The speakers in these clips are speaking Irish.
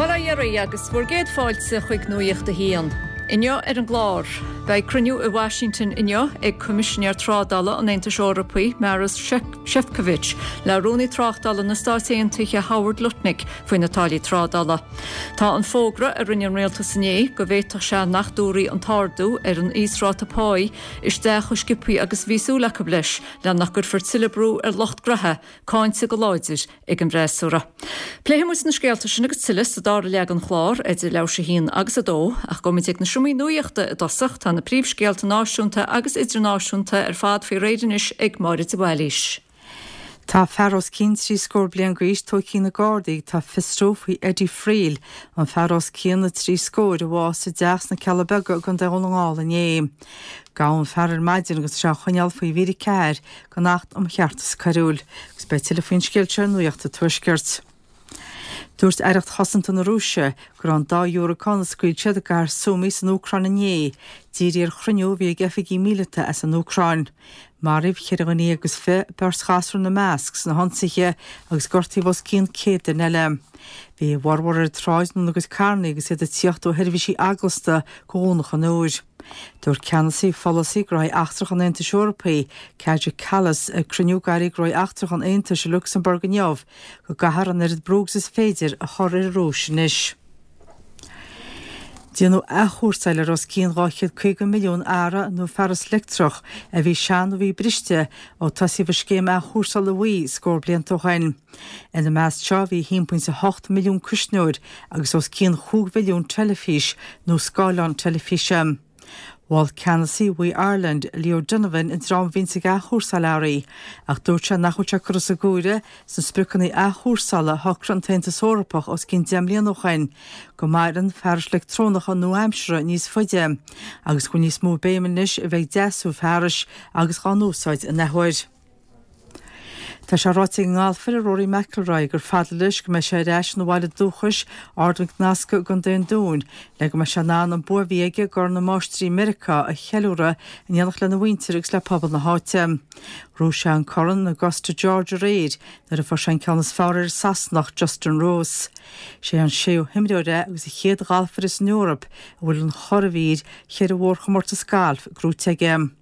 Bail ó Dhia oraibh agus bhur gcéad fáilte chuig Nuacht a hAon. Inniu ar an gclár, beidh cruinniú i Washington inniu ag Coimisinéir Trádála an Aontais Eorpaigh, Maros Sefcovic, le Rúnaí Tráchtála na Stát Aontaithe Howard Lutnick faoi na táillí trádála. Tá an fógra a rinne an rialtas inné go bhféadfadh sé nach dtabharfaí an t-ardú ar an íosráta páí isteach chomh sciobthaí agus a bhí súil acu leis, le nach gcuirfear tuilleadh brú ar lucht gnaithe, cáinte go láidir ag an bhfreasúra. Pléifidh muid na scéalta sin agus tuilleadh sa dara leath den chlár, idir leathuair tar éis a haon agus a dó, ach gabhfaidh muid ag na seomraí nuachta i dtosach, tá na príomhscéalta náisiúnta agus idirnáisiúnta ar fad faoi réir anois ag Máire de Bhailís. Tá fear os cionn trí scór bliain d'aois tógtha ag na Gardaí atá ag fiosrú faoi Eddie Friel, an fear os cionn na trí scóir a bhásaigh i dteach sna Cealla Beaga i gContae Dhún na nGall inné. Gabhadh an fear ar maidin agus tá sé á choinneáil faoi mhír 4 den Acht um Cheartas Coiriúil. Agus beidh tuilleadh faoin scéal seo ar Nuacht an Tuaiscirt. Dúirt Aireacht Chosanta na Rúise go raibh an dá dhiúracán a scaoil siad i gcathair Sumy san Úcráin inné dírithe ar chruinniú a bhí ag oifigigh míleata as an Úcráin. Maraíodh cheithre dhuine dhéag agus 20, beirt ghasúr ina measc, sna hionsaithe agus gortaíodh os cionn 100 duine eile. Bhí a bhformhór ar an tsráid nó ina gcuid carranna agus iad ag tíocht ó sheirbhísí eaglasta go Dhomhnach an Iúir. Dúirt ceannasaí pholasaí gnóthaí eachtracha an Aontais Eorpaigh, Kaja Kallas, ag cruinniú d'airí gnóthaí eachtracha an Aontais i Lucsamburg inniu go gcaithfear an oiread brú agus is féidir a chur ar an Rúis anois. Déanadh athchúrsáil ar os cionn 250 milliún earra nó fearas leictreach a bhí sean nó a bhí briste ó tosaíodh an scéim athchúrsála bhuí scór blianta ó shin. Ina measc seo bhí 1.8 milliún cuisneoir agus os cionn chúig mhilliún teilifís nó scáileán teilifíse. Mhol ceannasaí WEEE Ireland, Leo Donovan, an dream a bhíonns ag athchúrsáil earraí, ach dúirt sé nach bhfuil sé curtha sa gcomhaireamh sna spriocanna athchúrsála a shocraigh an tAontas Eorpach os cionn 10 mbliana ó shin go maireann fearais leictreonacha nua-aimseartha níos faide agus go bhfuil níos mó béime anois a bheith ag deasú fearais agus dhá n-úsáid in athuair. Tá sé ráite ag an ngalfaire Rory McIlroy gur fada leis go mbeidh sé ar ais ina bhaile dúchais, Ard Mhic Nasca i gContae an Dúin, le go mbeidh sé in ann an bua a bhí aige i gCorn na Máistrí i Meiriceá a cheiliúradh in éineacht lena mhuintir agus le pobal na háite. Ghnóthaigh sé an corn in Augusta Georgia aréir nuair a fuair sé an ceann is fearr ar an Sasanach Justin Rose. Sé an séú himreoir é agus an chéad ghalfaire san Eoraip a bhfuil an churadhmhír cheithre mhórchomórtas gailf gnóite aige.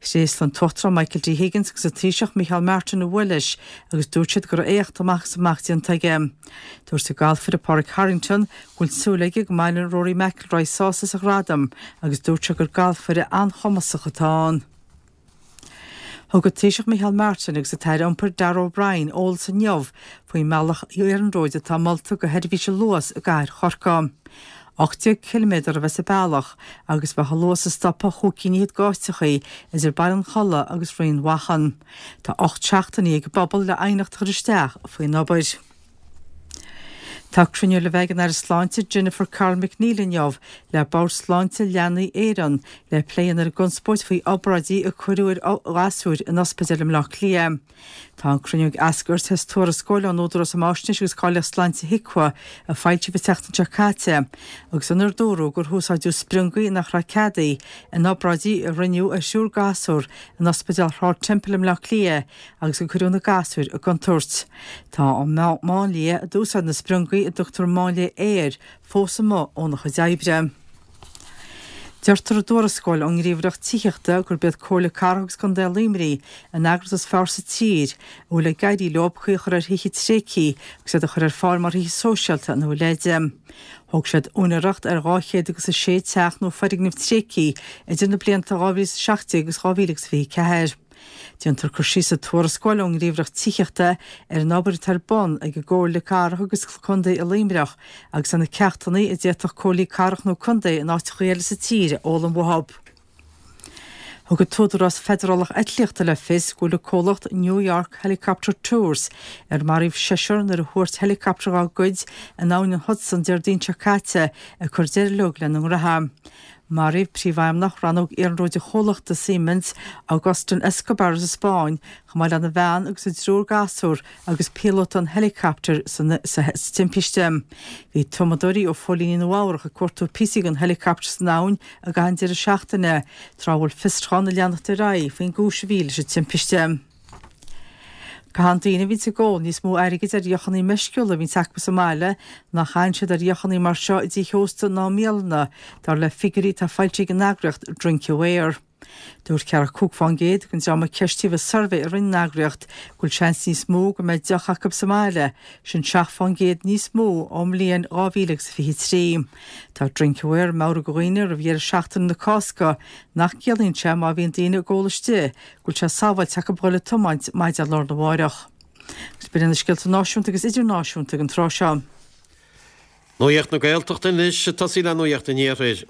Thréaslaigh an tUachtarán Michael D. Higgins agus an Taoiseach Micheál Martin a bhua leis agus dúirt siad go raibh éacht amach is amach déanta aige. Dúirt an galfaire Pádraig Harrington go bhfuil súil aige go mbaineann Rory McIlroy sásamh as a ghradam agus dúirt sé gur galfaire an-chumasach atá ann. Thug an Taoiseach Micheál Martin agus an tAire Iompair Darragh O'Brien eolas inniu faoin mbealach iarnróid atá molta do sheirbhís an Luas i gcathair Chorcaí. 18 ciliméadar a bheas sa bhealach agus bheadh an Luas ag stopadh chúig cinn fhichead d'áiteachaí idir Baile an Chollaigh agus Rinn Mhachan. Tá 8 seachtainí ag an bpobal le aighneacht a chur isteach faoin obair. Tá cruinniú le bheith ag an Aire Sláinte Jennifer Carroll MacNeill inniu le Bord Sláinte Leanaí Éireann le plé a dhéanamh ar an gconspóid faoi obráidí a cuireadh ar ghasúir in ospidéal i mBleá Cliath. Tá an cruinniú ag eascairt as tuarascáil ón Údarás um Fháisnéis agus Cáilíocht Sláinte HIQA a foilsíodh an tseachtain seo caite agus inar dúradh gur húsáideadh spriongaí nach raibh ceadaithe in obráidí a rinneadh ar thriúr gasúr in Ospidéal Shráid Temple i mBleá Cliath agus gur cuireadh na gasúir i gcontúirt. Tá an máinlia a d'úsáid na spriongaí, a dtugtar máinlia aeir, fós amuigh óna chuid oibre. Deirtear i dtuarascáil ón nGníomhaireacht Tithíochta gurb iad Comhairle Cathrach agus Contae Luimnigh an eagraíocht is fearr sa tír a bhfuil ag éirí leo caoi a chur ar thithe tréigthe agus iad a chur ar fáil mar thithe sóisialta nó a leithéid. Thóg siad úinéireacht ar 200 agus 6 teach nó foirgneamh tréigthe idir na blianta 2017 agus 2024. Déantar cur síos sa tuarascáil ón nGníomhaireacht Tithíochta ar an obair atá ar bun ag an gComhairle Cathrach agus Contae i Luimneach agus ar na ceachtanna a d'fhéadfadh Comhairlí Cathrach nó Contae in áiteacha eile sa tír a fhoghlaim uathu. Thug an tÚdarás Feidearálach Eitlíochta le fios go bhfuil an comhlacht New York Helicopter Tours, ar maraíodh seisear nuair a thuairt heileacaptar dá gcuid in abhainn an Hudson Déardaoin seo caite, ag cur deireadh leo lena ngraithe. Maraíodh príomhfheidhmeannach rannóg iarnróid an chomhlachta Siemens, Agustin Escobar sa Spáinn, chomh maith lena bhean agus a dtriúr gasúr agus píolóta an heileacaptair sa timpiste. Bhí tumadóirí ó phóilíní Nua Eabhrach ag cuartú píosaí den heileacaptar san abhainn i gcaitheamh an deireadh seachtaine, tráth a bhfuil fiosrúchán ag leanacht ar aghaidh faoin gcúis a bhí leis an timpiste. Caitheann daoine a bhíonns ag ól níos mó airgid ar dheochanna meisciúla a bhíonns acu sa mbaile ná a chaitheann siad ar dheochanna mar seo i dtithe ósta ná i mbialanna, dar le figiúirí atá foilsithe ag an eagraíocht Drinkaware. Dúirt 45% den dream a ceistíodh i suirbhé a rinne an eagraíocht go bhfuil seans níos mó go mbeidh deoch acu sa mbaile, sin 7% níos mó ón mbliain 2023. Tá Drinkaware ag meabhrú do dhaoine roimh dheireadh seachtaine na Cásca nach gciallaíonn sé má bhíonn daoine ag ól istigh go bhfuil sé sábháilte acu dhul ag tiomáint maidin lá arna mháireach. Agus b'in iad na scéalta náisiúnta agus idirnáisiúnta ag an tráth seo. Nuacht na Gaeltachta anois, ag tosaí le Nuacht an Iarthair.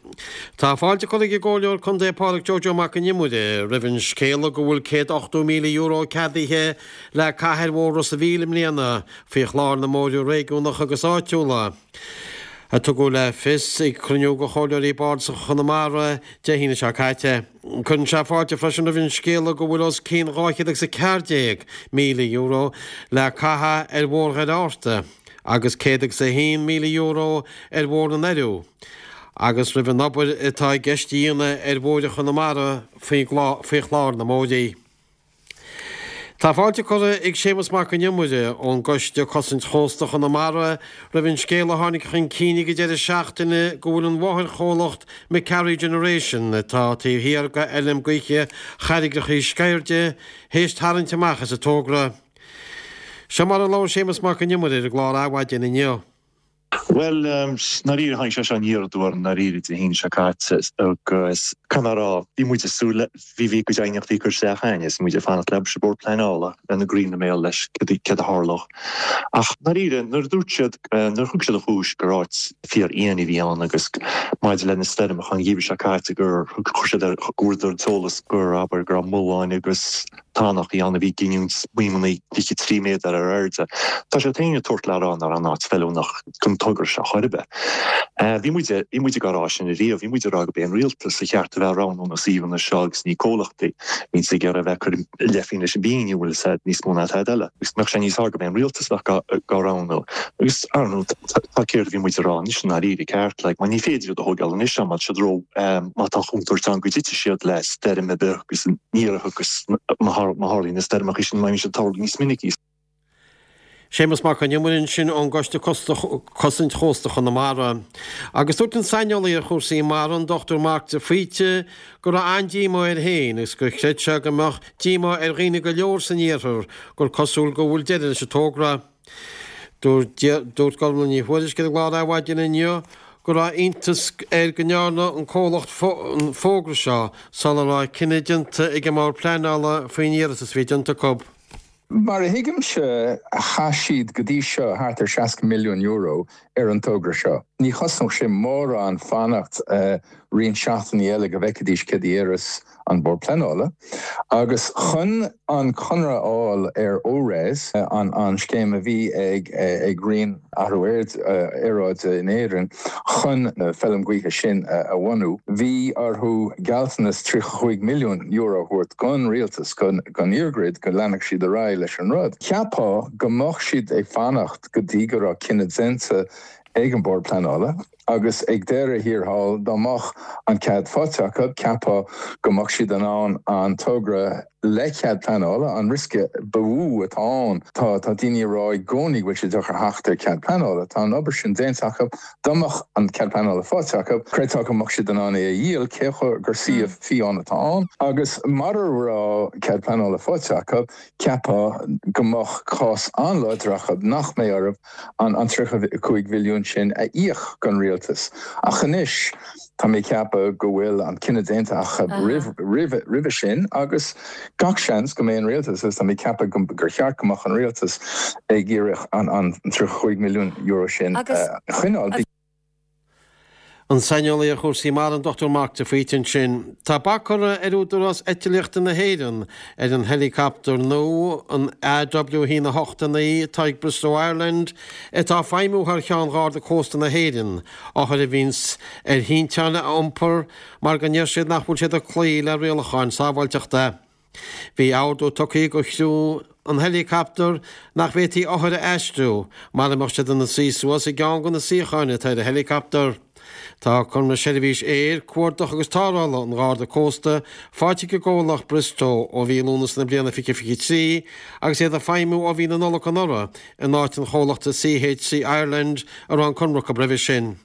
Tá fáilte curtha ag an gComhairleoir Contae Pádraic Joe Joe Mac an Iomaire roimh an scéala go bhfuil €180,000 ceadaithe le caitheamh ar Bhóthar Ros a' Mhíl i mbliana faoi chlár na mbóithre réigiúnacha agus áitiúla, a tugadh le fios ag cruinniú de Chomhairleoirí Bardasacha Chonamara Dé hAoine seo caite. Cuireann sé fáilte freisin roimh an scéala go bhfuil os cionn €214,000 le caitheamh ar Bhóthar Dhoire Fhatharta agus €101,000 ar Bhóthar na nDoirí agus roimh an obair atá i gceist a dhéanamh ar bhóithre Chonamara faoi chlár na mbóithrí. Tá fáilte curtha ag Séamus Mac an Iomaire ón gCoiste Cosaint Chósta Chonamara roimh an scéal a tháinig chun cinn ag an deireadh seachtaine go bhfuil an mháthairchomhlacht McCarry Generation, atá taobh thiar de fheilm gaoithe Charraigreachaí Sceirde, théis tarraingt amach as an togra. Seo mar a labhair Séamus Mac an Iomaire ar an gclár Adhmhaidin inniu. Bhuel, i ndáiríre, tháinig sé seo aniar aduaidh orainn i ndáiríre Dé hAoine seo caite agus caithfidh mé a rá, bhí muid ag súil le, bhí, bhí cuid aighneachtaí curtha isteach againn is muid ag fanacht le an Bord Pleanála lena gcroí ina mbéal leis céard a tharlódh. Ach i ndáiríre, nuair a dúirt siad, nuair a thug siad an chúis gur áit fíor-fhiáin a bhí ann agus maidir le na stoirmeacha an gheimhreadh seo caite gur chuir siad ar, go bhfuaireadar an t-eolas gur, abair, go raibh mulláin agus. tonntachaí ann a bhí ag giniúint maidhmeanna 23 méadar ar airde. Tá siad féin ag tabhairt le rá nach raibh an áit feiliúnach don togra seo chor ar bith. Bhí muid, bhí muid ag rá sin ariamh, bhí muid ag rá gurb é an rialtas a cheart a bheith ag roghnú na suíomhanna seo agus ní comhlachtaí a bhíonns ag iarraidh a bheith ag cur a leith féin leis an bpingin, bhfuil fhios a'd, níos mó ná tada eile. Agus mbeadh sé níos fearr gurb é an rialtas a bheadh á roghnú. Agus, ar ndóigh, tá céard a bhí muid ag rá anois i ndáiríre ceart, like, mar ní féidir iad a thógáil anois má tá siad ró, má tá contúirt ann go dtitfidh siad le stoirm ar bith agus ní agus má tharlaíonn na stoirmeacha sin, má bhíonn siad ag tarlú níos minicí. Séamus Mac an Iomaire ansin ón gCoiste Cosaint Chósta Chonamara. Agus dúirt an saineolaí ar chúrsaí mara, an Dr Mark de Faoite, go raibh an-díomá air féin agus gur chreid sé go mbeadh díomá ar dhaoine go leor san iarthar gur cosúil go bhfuil deireadh leis an togra. Dúirt Gormlaith Ní Thuairisg ar an gclár Adhmhaidin inniu go raibh iontas air go ndearna an comhlacht an fógra seo sula raibh cinneadh déanta ag an mBord Pleanála faoin iarratas a bhí déanta acu. Mar a thuigimse, chaith siad go dtí seo thart ar €60 milliún ar an togra seo. Ní chosnódh sé mórán fanacht roinnt seachtainí eile go bhfeicfidís céard a déarfas an Bord Pleanála. Agus chun an conradh a fháil ar ORES, an scéim a bhí ag Roinn Athrú Aeráide in Éirinn chun na feilm gaoithe sin a bhunú, bhí orthu gealltanas €35 milliún a thabhairt don rialtas, don EirGrid, go leanfadh siad ar aghaidh leis an rud. Cheapfá go mbeadh siad ag fanacht go dtí go raibh cinneadh déanta ag an Bord Pleanála. Agus ag deireadh thiar thall, dá mbeadh an cead faighte acu, cheapfá go mbeadh siad in ann an togra le cead pleanála, an riosca ba mhó atá ann, tá tá daoine ag rá i gcónaí go bhfuil sé deacair theacht ar cead pleanála, tá an obair sin déanta acu, dá mbeadh an cead pleanála faighte acu, chreidfeá go mbeadh siad in ann é a dhíol, cé gur suíomh fiáin atá ann. Agus mara raibh cead pleanála faighte acu, cheapfá go mbeadh cás an-láidir acu nach mbeadh orthu an 35 mhilliún sin a íoc don rialtas. Ach anois, tá mé ag ceapadh go bhfuil an cinneadh déanta acu roimhe sin agus gach seans go mbeidh an rialtas, agus tá mé ag ceapadh gur cheart go mbeadh an rialtas ag iarraidh an €35 milliún sin a choinneáil. An saineolaí ar chúrsaí mara, an Dr Mark de Faoite ansin. Tá bac curtha ag Údarás Eitlíochta na hÉireann ar an heileacaptar nua, an AW 1 8 9, atá ag Bristow Ireland, atá ag feidhmiú thar cheann Gharda Cósta na hÉireann, othair a bhíonns ar thinteáin a iompar mar go ndeir siad nach bhfuil siad ag cloí le rialacháin sábháilteachta. Bhí ordú tugtha do chriú an heileacaptair nach bhféadfaí othair a aistriú mara mbeadh siad ina suí suas i gceann de na suíocháin atá ar an heileacaptar. Tá conradh seirbhís aeir, cuardach agus tarrthála an Gharda Cósta faighte ag an gcomhlacht Bristow ó mhí Lúnasa na bliana 2023 agus iad ag feidhmiú ó mhí na Nollag anuraidh in áit an chomhlachta CHC Ireland a raibh an conradh acu roimhe sin.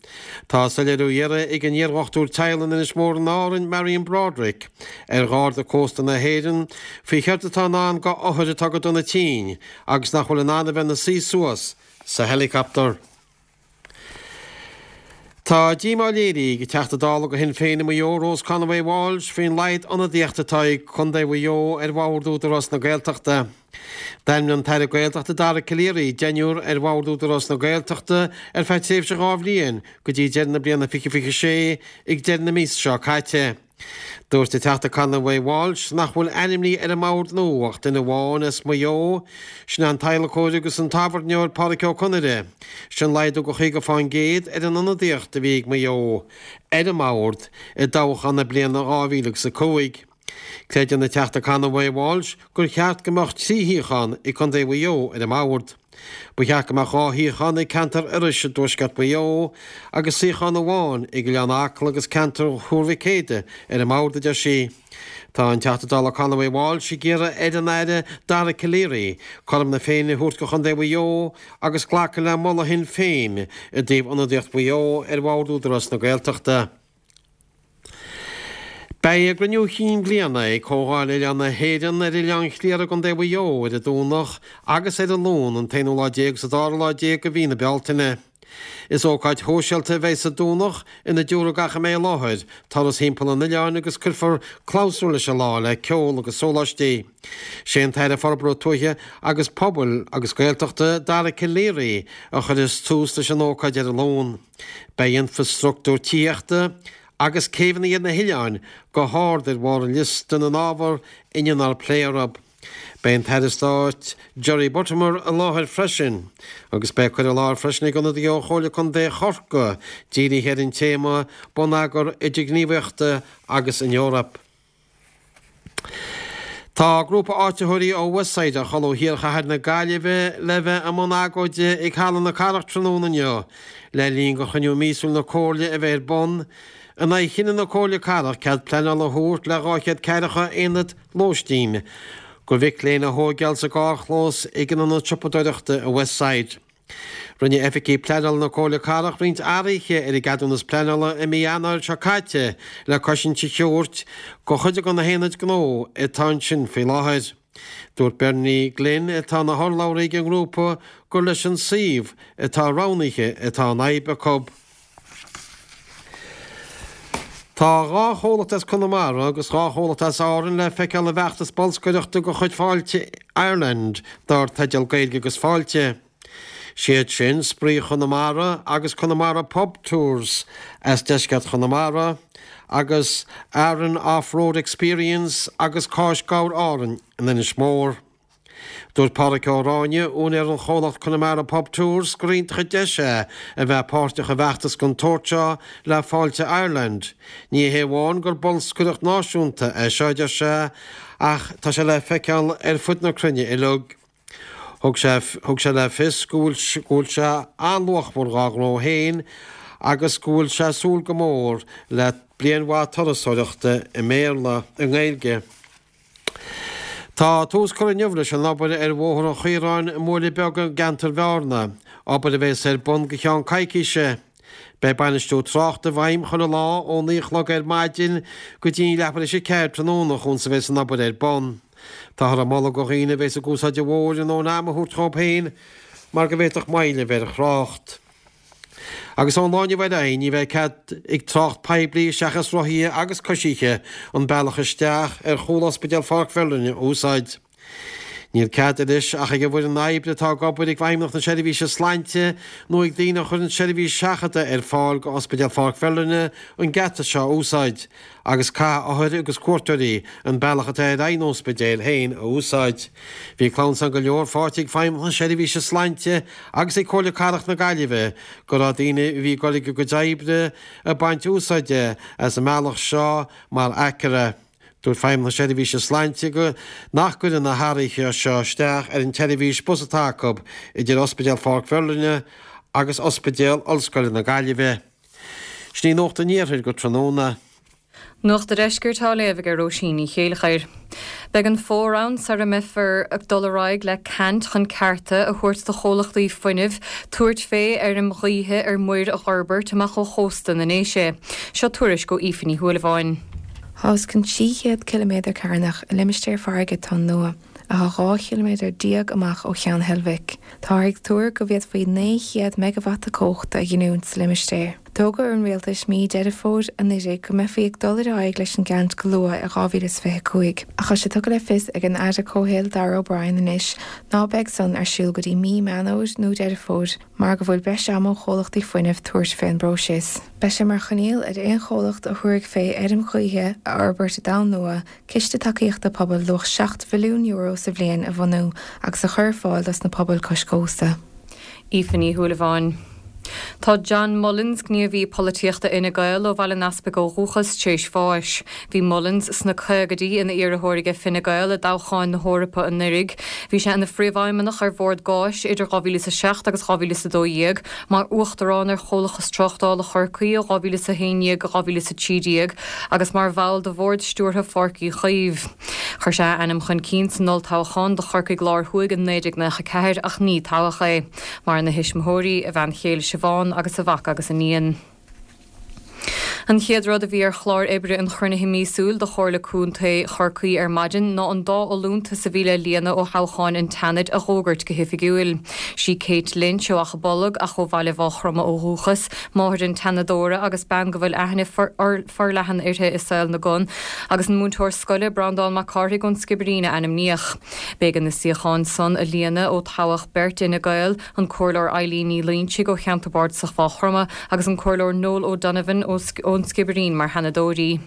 Tá soiléiriú á iarraidh ag an iardhochtúir teaghlaigh in Inis Mór in Árainn, Marion Broderick, ar Gharda Cósta na hÉireann faoi chéard atá i ndán do othair atá go dona tinn agus nach bhfuil in ann a bheith ina suí suas sa heileacaptar. Tá díomá léirithe ag an Teachta Dála do Shinn Féin i Maigh Eo, Rose Conway Walsh, faoin laghad ionadaíochta atá ag Contae Mhaigh Eo ar Bhord Údarás na Gaeltachta. D'ainmnigh an tAire Gaeltachta Dara Calleary deichniúr ar Bhord Údarás na Gaeltachta ar feadh tréimhse 2 bhliain go dtí deireadh na bliana 2026 ag deireadh na míosa seo caite. Dúirt an Teachta Conway Walsh nach bhfuil ainmnithe ar an mbord nua ach duine amháin as Maigh Eo, sin é an t-adhlacóir agus an tábhairneoir Pádraic Ó Conaire. Sin laghdú de 50% ar an ionadaíocht a bhí ag Maigh Eo ar an mbord i dtoghchán na bliana 2005. Creideann an Teachta Conway Walsh gur cheart go mbeadh 3 shuíochán ag Contae Mhaigh Eo ar an mbord. Ba cheart go mbeadh 2 shuíochán ag ceantar Iorrais i dtuaisceart Mhaigh Eo agus suíochán amháin ag Oileán Acaill agus ceantar Thuar Mhic Éadaigh ar an mbord, a deir sí. Tá an Teachta Dála Conway Walsh ag iarraidh ar an Aire Dara Calleary cothrom na Féinne a thabhairt do Chontae Mhaigh Eo agus glacadh le moladh Shinn Féin i dtaobh ionadaíocht Mhaigh Eo ar Bhord Údarás na Gaeltachta. Beidh a gcruinniú chinn bliana ag Comhdháil Oileáin na hÉireann ar Oileán Chliara i gContae Mhaigh Eo ar an Domhnach agus ar an Luan, an t-aonú lá déag agus an dara lá déag de mhí na Bealtaine. Is ócáid shóisialta a bheidh sa Domhnach ina dtiúrfaidh gach a mbeidh i láthair turas thimpeall an oileáin agus cuirfear clabhsúr leis an lá le ceol agus sóláistí. Sé an tAire Forbartha Tuaithe agus Pobail agus Gaeltachta, Dara Calleary, a chuirfeas tús leis an ócáid ar an Luan. Beidh infreastruchtúr tithíochta agus céibheanna ar na hoileáin go hard ar bharr an liosta na n-ábhar a ndéanfar plé orthu. Beidh an tAire Stáit Jerry Buttimer i láthair freisin agus beidh cur i láthair freisin ag ionadaí ó Chomhairle Contae Chorcaí dírithe ar an téama 'Bonneagar Idirghníomhaíochta agus an Eoraip'. Tá grúpa áititheoirí ó Westside a chodladh thiar chathair na Gaillimhe le bheith i mbun agóide ag Halla na Cathrach tráthnóna inniu le linn do chruinniú míosúil na Comhairle a bheith ar bun in aghaidh chinneadh na Comhairle Cathrach cead pleanála a thabhairt le 240 aonad lóistín do mhic léinn a thóigeáil sa gcarrchlós ag an ionad siopadóireachta i Westside. Rinne oifigigh pleanála na Comhairle Cathrach roinnt athruithe ar an gceadúnas pleanála i mí Eanáir seo caite le cosaint a thabhairt do chuid de na haonaid gnó atá ansin faoi láthair. Dúirt Bernie Glynn, atá ina hurlabhraí ag an ngrúpa, gur leis an suíomh atá roghnaithe atá an fhadhb acu. Tá 2 chomhlacht as Conamara agus 2 chomhlacht as Árainn le feiceáil i bhfeachtas bolscaireachta de chuid Fáilte Ireland dar teideal Gaeilge agus Fáilte. Siad sin Spraoi Chonamara agus Connemara Pub Tours as deisceart Chonamara agus Aran Off Road Experience agus Cáis Gabhair Árainn in Inis Mór. Dúirt Pádraic Ó Ráinne, úinéir an chomhlacht Connemara Pub Tours, gur iontach an deis é a bheith páirteach i bhfeachtas den tsórt seo le Fáilte Ireland. Ní hé amháin gur bolscaireacht náisiúnta é seo, a deir sé, ach tá sé le feiceáil ar fud na cruinne uilig. Thug sé thug sé le fios go bhfuil go bhfuil sé an-luachmhar dhá ghnó féin agus go bhfuil sé ag súil go mór le bliain mhaith turasóireachta i mBéarla, i nGaeilge. Tá tús curtha inniu leis an obair ar Bhóthar an Chaoráin i mBuaile Beag i gceantar Bhearna, obair a bheas ar bun go cheann coicíse. Beidh bainistiú tráchta i bhfeidhm chuile lá ó 9 a chlog ar maidin go dtí leathuair tar éis 4 tráthnóna chúns a bheas an obair ar bun. Táthar ag moladh do dhaoine a bheas ag úsáid an bhóthair a ndóthain ama a thabhairt dhóibh féin mar go bhféadfadh moill a bheith ar thrácht. Agus ón lá inniu ar aghaidh ní bheidh cead ag trácht poiblí seachas rothaithe agus coisithe an bealach isteach ar chúl Ospidéal Pháirc Mherlin a úsáid. Níl cead anois ach ag an bhfoireann oibre atá ag obair ag Feidhmeannacht na Seirbhíse Sláinte nó ag daoine a chuireann seirbhís seachadta ar fáil go Ospidéal Pháirc Mherlin an geata seo a úsáid agus caithfidh othair agus cuairteoirí an bealach atá ar aghaidh an ospidéil féin a úsáid. Bhí clamhsán go leor faighte ag Feidhmeannacht na Seirbhíse Sláinte agus ag Comhairle Cathrach na Gaillimhe go raibh daoine a bhí ag dul ag a gcuid oibre ag baint úsáide as an mbealach seo mar aicearra. Dúirt Feidhmeannacht na Seirbhíse Sláinte go nach gcuireann na hathruithe seo isteach ar an tseirbhís bus atá acu idir Ospidéal Pháirc Mherlin agus Ospidéal Ollscoile na Gaillimhe. Sin í Nuacht an Iarthair go tráthnóna. Nuacht a' Deiscirt á léamh aige Róisín Ní Chéilleachair. Beidh an fómhar ann sara mbeifear ag dul ar aghaidh le caint chun cearta a thabhairt do chomhlachtaí fuinnimh tabhairt fé fheirm ghaoithe ar muir a dh'fhorbairt amach ó chósta na nDéise. Seo tuairisc ó Aoife Ní Shúilleabháin. Tá os cionn 300 ciliméadar carnach i limistéar farraige Tonn Nua, atá 12 chiliméadar amach ó Cheann Heilbhic. Táthar ag tuar go bhféadfaí 900 meigeavata cumhachta a ghiniúint sa limistéar. D'fhógair an Rialtas mí Deireadh Fómhair anuraidh go mbeifí ag dul ar aghaidh leis an gceant go luath i 2025, ach tá sé tugtha le fios ag an Aire Comhshaoil Darragh O'Brien anois ná beidh san ar siúl go dtí mí Meán Fhómhair nó Deireadh Fómhair mar go bhfuil breis ama ó chomhlachtaí fuinnimh tabhairt fé an bpróiseas. Beidh sé mar choinníoll ar aon chomhlacht a thabharfaidh fé fheirm ghaoithe a fhorbairt i dTonn Nua ciste tacaíochta pobail luach €7 mhilliún sa bhliain a bhunú agus a chur ar fáil dos na pobail cois cósta. Aoife Ní Shúilleabháin. Tá John Mullins, gníomhaí polaitíochta Fhine Gael ó Bhaile an Easpaig ó dhúchas, tar éis bháis. Bhí Mullins sna caogaidí ina iarrthóir aige Fine Gael i dtoghcháin na hEorpa anuraidh. Bhí sé ina phríomhfheidhmeannach ar Bhord Gáis idir 2007 agus 2012, mar Uachtarán ar Chomhlachas Tráchtála Chorcaí ó 2011 go 2013 agus mar bhall de Bhord Stiúrtha Pháirc Uí Chaoimh. Chuir sé a ainm chun cinn san olltoghchán do Chorcaigh Láir Thuaidh in 1994 ach ní toghadh é. Maireann a thuismitheoirí, a bhean chéile Siobhán agus a mhac agus iníon. An chéad rud a bhí ar chlár oibre an chruinnithe míosúil do Chomhairle Contae Chorcaí ar maidin ná an dá fholúntas a bhí le líonadh ó thoghcháin an tSeanaid a dh'fhógairt go hoifigiúil. Sí Kate Lynch ó Achadh Bolg, ach ó Bhaile Mhághchromtha ó dhúchas, máthair an tSeanadóra agus bean go bhfuil aithne forleathan uirthi i saol na gcon, agus an múinteoir scoile Breandán Mac Cárthaigh ón Sciobairín a ainmníodh. B'éigean na suíocháin san a líonadh ó toghadh beirt d'Fhine Gael, an Comhairleoir Eileen Ní Loingsigh ó cheantar bardasach Mhaigh Chromtha agus an Comhairleoir Noel O'Donovan ón Sciobairín mar Sheanadóirí.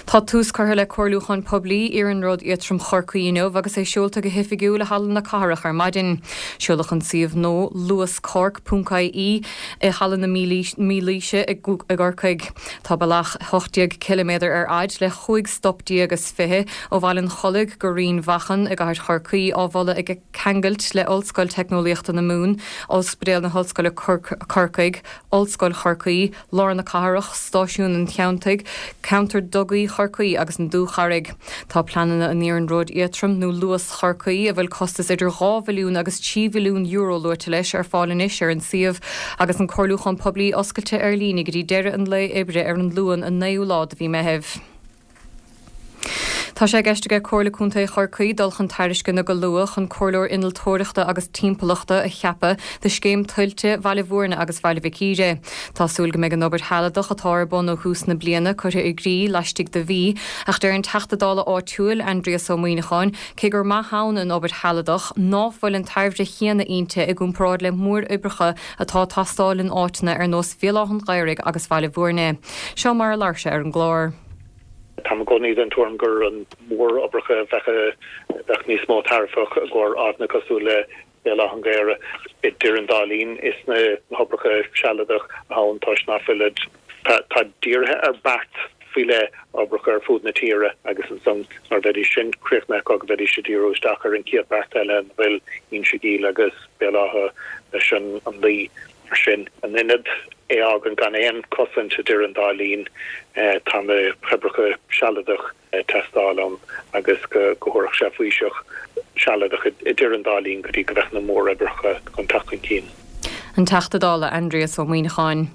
Tá tús curtha le comhairliúchán poiblí Iarnród Éadtrom Chorcaí inniu agus é seolta go hoifigiúil i Halla na Cathrach ar maidin. Seoladh an suíomh nua, luascork ponc ie, i Halla na Mílaoise i gCorcaigh. Tá bealach 18 ciliméadar ar fhaid le 15 stop is 20 ó Bhaile an Chollaigh go Rinn Mhachan i gcathair Chorcaí á mholadh ag ceangailt le Ollscoil Teicneolaíochta na Mumhan, Ospidéal na hOllscoile Corcaigh, Ollscoil Chorcaí, Lár na Cathrach, Stáisiún an Cheanntaigh, Ceantar Dugaí Chorcaí agus an Dúcharraig. Tá pleananna an Iarnróid Éadtroim nó Luas Chorcaí, a bhfuil costas idir €2 bhilliún agus €3 bhilliún luaite leis, ar fáil anois ar an suíomh agus an comhairliúchán poiblí oscailte ar líne go dtí deireadh an lae oibre ar an Luan an 9ú lá de mhí Meithimh. Tá sé i gceist aige Comhairle Contae Chorcaí dul chun tairisceana go luath chun Comhairleoir Innealtóireachta agus Timpeallachta a cheapadh do scéim tuilte Bhaile Bhúirne agus Bhaile Mhic Íre. Tá súil go mbeidh an obair shealadach atá ar bun ó thús na bliana curtha i gcrích laistigh de mhí, ach deir an Teachta Dála áitiúil, Aindrias Ó Muíneacháin, cé gur maith ann an obair shealadach, ná fuil an tairbhe chéanna inti i gcomparáid le móroibreacha atá ag teastáil in áiteanna ar nós Bhéal Átha an Ghaorthaidh agus Bhaile Bhúirne. Seo mar a labhair sé ar an gclár. Táim i gcónaí den tuairim gur an mhóroibreacha a bheadh níos mó tairbheach i gcomhair áiteanna cosúil le Béal Átha an Ghaorthaidh. Idir an dá linn, is na hoibreacha sealadach atá ann toisc ná fuilid, tá dírithe ar beart faoi leith, oibreacha ar fud na tíre agus ansan nuair a bheidís sin críochnaithe acu go bheidís ag díriú isteach ar an chéad beart eile ina bhfuil Inse Gall agus Béal Átha leis an Laoi. Mar sin, in ionad é a fhágaint gan aon chosaint idir an dá linn, tá na hoibreacha sealadach ag teastáil ann agus go dtabharfadh sé faoiseamh sealadach idir an dá linn go dtí go bheadh na móroibreacha chun teacht chun cinn. An Teachta Dála Aindrias Ó Muíneacháin.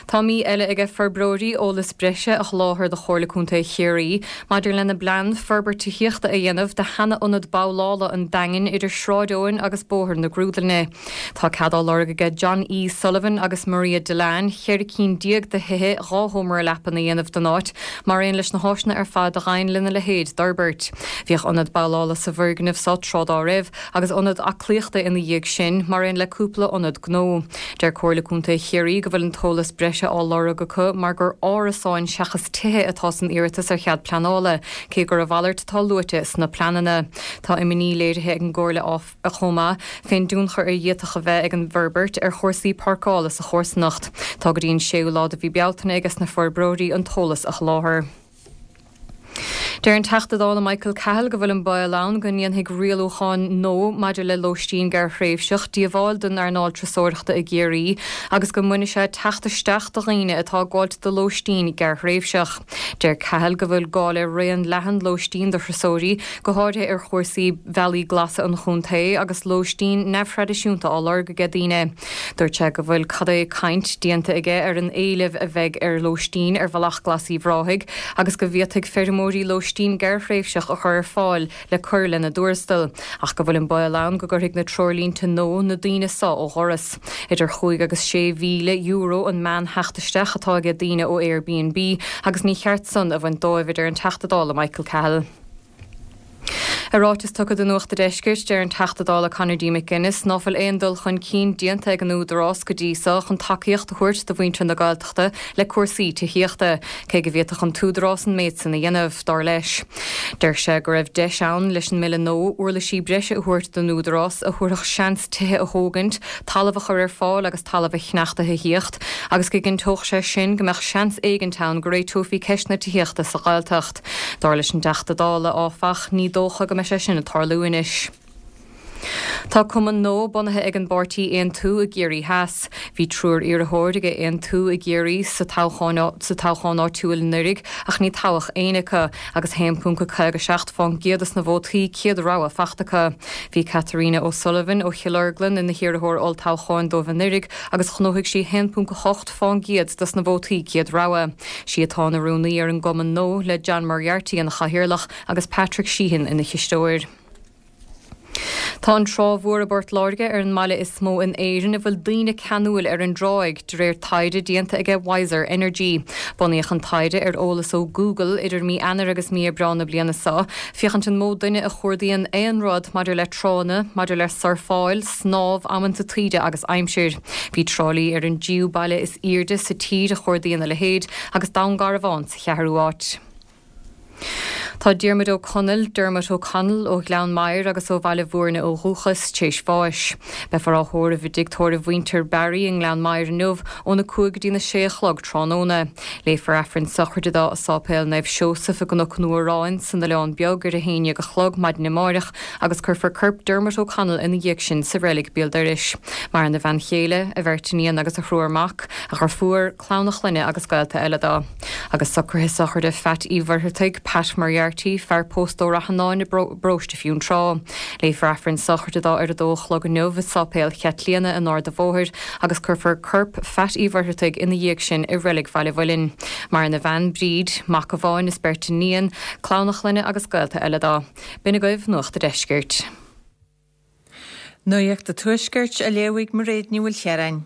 Tá mí eile aige forbróirí eolas breise a sholáthar do Chomhairle Contae Chiarraí maidir lena bplean forbairt tithíochta a dhéanamh de sheana-ionad babhlála an Daingin idir Sráid Eoin agus Bóthar na Grúdlainne. Tá cead á lorg aige John E. Sullivan agus Maria Dillane 14 cinn de thithe 2 sheomra leapan a dhéanamh den áit, mar aon leis na háiseanna ar fad a ghabhann lena leithéid d'fhorbairt. Bhíodh ionad babhlála sa bhfoirgneamh so tráth dá raibh, agus ionad aclaíochta ina dhiaidh sin, mar aon le cúpla ionad gnó. Deir Comhairle Contae Chiarraí go bhfuil an t-eolas breise á lorg acu mar gur árasáin seachas tithe atá san iarratas ar chead pleanála, cé gur a mhalairt atá luaite sna pleananna. Tá imní léirithe ag an gComhairle áfach, chomh maith, fén dtionchar a d'fhéadfadh a bheith ag an bhforbairt ar chúrsaí páirceála sa chomharsanacht. Tá go dtí an séú lá de mhí Bealtaine aige sna forbróirí an t-eolas a sholáthar. Deir an Teachta Dála Michael Cahill go bhfuil an baol ann go ndéanfaidh rialúcháin nua maidir le lóistín gearrthréimhseach díobháil don earnáil turasóireachta i gCiarraí agus go mbainfidh sé teacht isteach do dhaoine atá ag gabháilt do lóistín gearrthréimhseach. Deir Cahill go bhfuil gá le raon leathan lóistín do thurasóirí, go háirithe ar chúrsaí bhealaí glasa an chontae agus lóistín neamhthraidisiúnta á lorg aige daoine. Dúirt sé go bhfuil cad é caint déanta aige ar an éileamh a bheidh ar lóistín ar Bhealach Glas Uíbh Ráthaigh agus go bhféadfaidh feirmeoirí lóistín gearrthréimhseach a chur ar fáil le cur lena dtuarastal, ach go bhfuil an baol ann go gcuirfidh na treoirlínte nua na daoine so ó dhoras. Idir chúig agus €6,000 an meán-theacht isteach atá aige daoine ó Airbnb agus ní cheart san a bhaint dóibh, a deir an Teachta Dála Michael Cahill. I ráiteas tugtha do Nuacht a' Deiscirt, deir an Teachta Dála Conor D. McGuinness ná fuil aon dul chun cinn déanta ag an Údarás go dtí so chun tacaíocht a thabhairt do mhuintir na Gaeltachta le cúrsaí tithíochta, cé go bhféadfadh an tÚdarás an méid san a dhéanamh, dar leis. Deir sé go raibh deis ann leis an mBille nua uirlisí breise a thabhairt don Údarás a thabharfadh seans tithe a thógaint, talamh a chur ar fáil agus talamh a cheannacht do thithíocht, agus go gcinnteodh sé sin go mbeadh seans éigint ann go réiteofaí ceist na tithíochta sa Ghaeltacht. Dar leis an dTeachta Dála, áfach, ní dócha go mbeidh sé sin ag tarlú anois. Tá cumann nua bunaithe ag an bpáirtí Aontú i gCiarraí Theas. Bhí triúr iarrthóir ag Aontú i gCiarraí sa toghchán sa toghchán áitiúil anuraidh ach ní toghadh éinne acu agus 1.57 fán gcéad dos na vótaí céad rogha fachta acu. Bhí Katerina O'Sullivan ó Chill Orglan ina hiarrthóir olltoghcháin dóibh anuraidh agus ghnóthaigh sí 1.8 fán gcéad dos na vótaí céad rogha. Sí atá ina rúnaí ar an gcumann nua, le John Moriarty ina chathaoirleach agus Patrick Sheehan ina chisteoir. Tá an Trá Mhór i bPort Láirge ar an mbaile is mó in Éirinn a bhfuil daoine ceanúil ar an dtráigh, de réir taighde déanta aige Wiser Energy. Bunaíodh an taighde ar eolas ó Google idir mí Eanáir agus mí Aibreán na bliana seo, féachaint an mó duine a chuardaíonn aon rud maidir le tránna, maidir le surfáil, snámh, amanta taoide agus aimsir. Bhí Trá Lí ar an dtríú baile is airde sa tír a chuardaíonn a leithéid, agus Dún Garbhán sa cheathrú áit. Tá Diarmuid Ó Conaill, Dermot O'Connell, ó Ghleann Maghair agus ó Bhaile Bhúirne ó dhúchas, tar éis bháis. Beifear á thórramh i dtigh tórraimh mhuintir Barry i nGleann Maghair inniu óna 5 go dtína 6 a chlog tráthnóna. Léifear Aifreann sochraide dó i Sáipéal Naomh Seosamh i gCnoc an Fhuaráin san Oileán Beag ar a haon dhéag a chlog maidin amáireach agus cuirfear corp Dermot O'Connell ina dhiaidh sin sa reilig béal dorais. Maireann a bhean chéile, a bheirt iníon agus a thriúr mac, a dheirfiúr, clann a chlainne agus gaolta eile dó. Agus socruithe sochraide Pheait Uí Mhuircheartaigh, Pat Moriarty, fear pósta ó Rath Annáin i bparóiste Fionntrá. Léifear Aifreann sochraide dó ar a dó a chlog inniu i Sáipéal Chaitlíona in Ard a' Bhóthair agus cuirfear corp Pheait Uí Mhuircheartaigh ina dhiaidh sin i reilig Bhaile Mhuilinn. Maireann a bhean, Bríd, mac amháin is beirt iníon, clann a chlainne agus gaolta eile dó. B'in agaibh Nuacht a' Deiscirt. Nuacht a' Tuaiscirt á léamh ag Mairéad Ní Mhaoilchiaráin.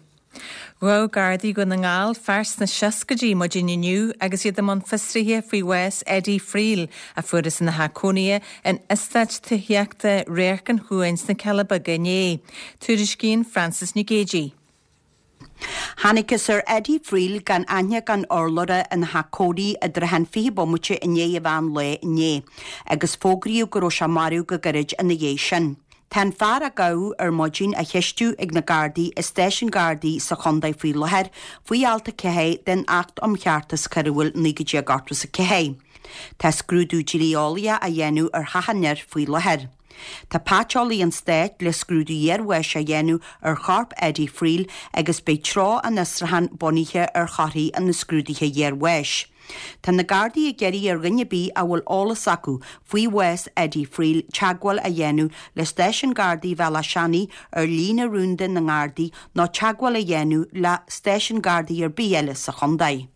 Ghabh Gardaí Dhún na nGall fear sna seascaidí maidin inniu agus iad i mbun fiosraithe faoi bhás Eddie Friel a fuarthas ina theach cónaithe in eastát tithíochta Radharc an Chuain sna Cealla Beaga inné. Tuairiscíonn Frances Nic Géadaigh. Thángthas ar Eddie Friel gan aithne gan urlabhra ina theach cónaithe i dtrátha an 20 bomaite i ndiaidh an mheán lae inné agus fógraíodh go raibh sé marbh go gairid ina dhiaidh sin. Tá an fear a gabhadh ar maidin á cheistiú ag na Gardaí i stáisiún Gardaí sa chontae faoi láthair faoi alt 4 den Acht um Cheartas Coiriúil 1984. Tá scrúdú dlí-eolaíoch á dhéanamh ar theach an fhir faoi láthair. Tá paiteolaí an stáit le scrúdú iarbháis a dhéanamh ar chorp Eddie Friel agus beidh treo an fhiosrúcháin bunaithe ar thorthaí an scrúdaithe iarbháis. Tá na Gardaí ag iarraidh ar dhuine ar bith a bhfuil eolas acu faoi bhás Eddie Friel teagmháil a dhéanamh le Stáisiún Gardaí Bhealach Seanaidh ar líne rúnda na nGardaí nó teagmháil a dhéanamh le stáisiún Gardaí ar bith eile sa chontae.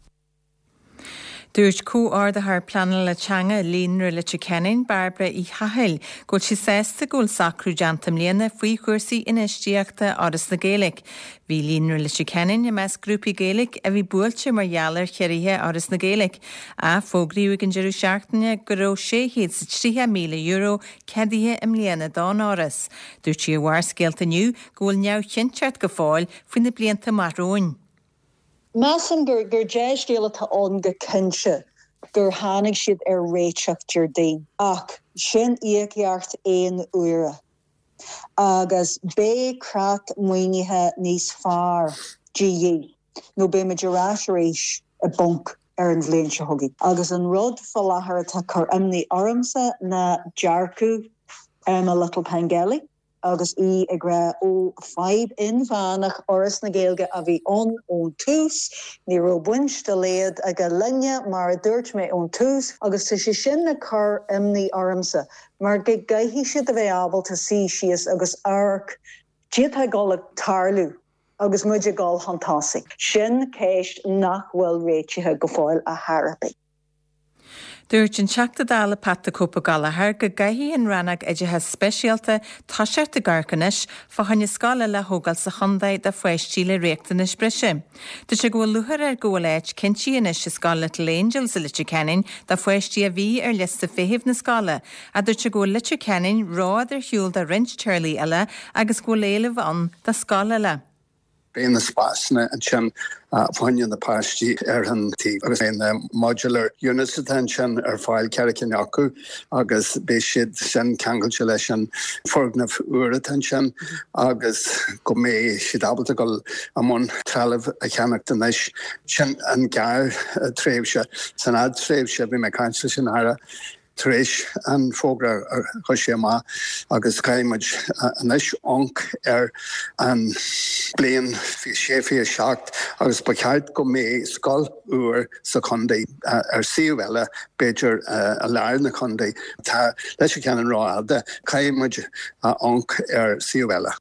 Dúirt Comhordaitheoir Pleanála Teanga Líonra Leitir Ceanainn, Bairbre Uí Chathail, go bhfuil sí sásta go bhfuil socrú déanta i mbliana faoi chúrsaí infheistíochta Fhoras na Gaeilge. Bhí Líonra Leitir Ceanainn i measc grúpaí Gaeilge a bhí buailte mar gheall ar chiorruithe Fhoras na Gaeilge, ach fógraíodh ag an deireadh seachtaine go raibh €630,000 ceadaithe i mbliana don Fhoras. Dúirt sí ar Bharrscéalta inniu go bhfuil neamhchinnteacht go fóill faoi na blianta amach romhainn. Measaim gur dea-scéal atá ann go cinnte gur tháinig siad ar réiteach Déardaoin, ach sin íocaíocht aon uaire agus beidh creat maoinithe níos fearr de dhíth nó beidh muid ar ais arís i bponc. ar an bhliain seo chugainn. Agus an rud fá láthair atá ag cur imní ormsa ná dearcadh Emma Little-Pengelly agus í ag rá ó, fadhb inmheánach Fhoras na Gaeilge a bhí ann ón tús, ní raibh baint dá laghad aige linne, mar a dúirt mé ón tús, agus tá sé sin ag cur imní ormsa mar go gcaithfidh siad a bheith ábalta suí síos agus amharc caidé atá ag dul ag tarlú agus muid ag dul chun tosaigh. Sin ceist nach bhfuil réitithe go fóill ar chor ar bith. Dúirt an Teachta Dála Pat 'The Cope' Gallagher go gcaithfidh an Rannóg Oideachais Speisialta toiseacht ag amharc anois fá choinne scoil eile a thógáil sa chontae do pháistí le riachtanais breise. Dúirt sé go bhfuil lúcháir air go bhfuil áit cinntithe anois i scoil Little Angels i Leitir Ceanainn do pháistí a bhí ar liosta feithimh na scoile ach dúirt sé go bhfuil Leitir Ceanainn rófhada ar shiúl do roinnt teaghlaigh eile agus go bhfuil éileamh ann do scoil eile. Beidh na spásanna ansin fá choinne na páistí ar an taobh agus beidh na modular units atá ansin ar fáil, 4 cinn acu, agus beidh siad sin ceangailte leis an foirgneamh úr atá ansin agus go mbeidh siad ábalta dul i mbun trealamh a cheannacht anois. Sin an gearr-tréimhse. San fhadtréimhse, bhí mé ag caint leis an Aire tar éis an fógra a chuir sé amach agus caithfidh muid anois amharc ar an bliain 26, 27 agus ba cheart go mbeidh scoil úr sa chontae ar suíomh eile, b'fhéidir i lár na contae. Tá Leitir Ceanainn rófhada, caithfidh muid amharc ar suíomh eile.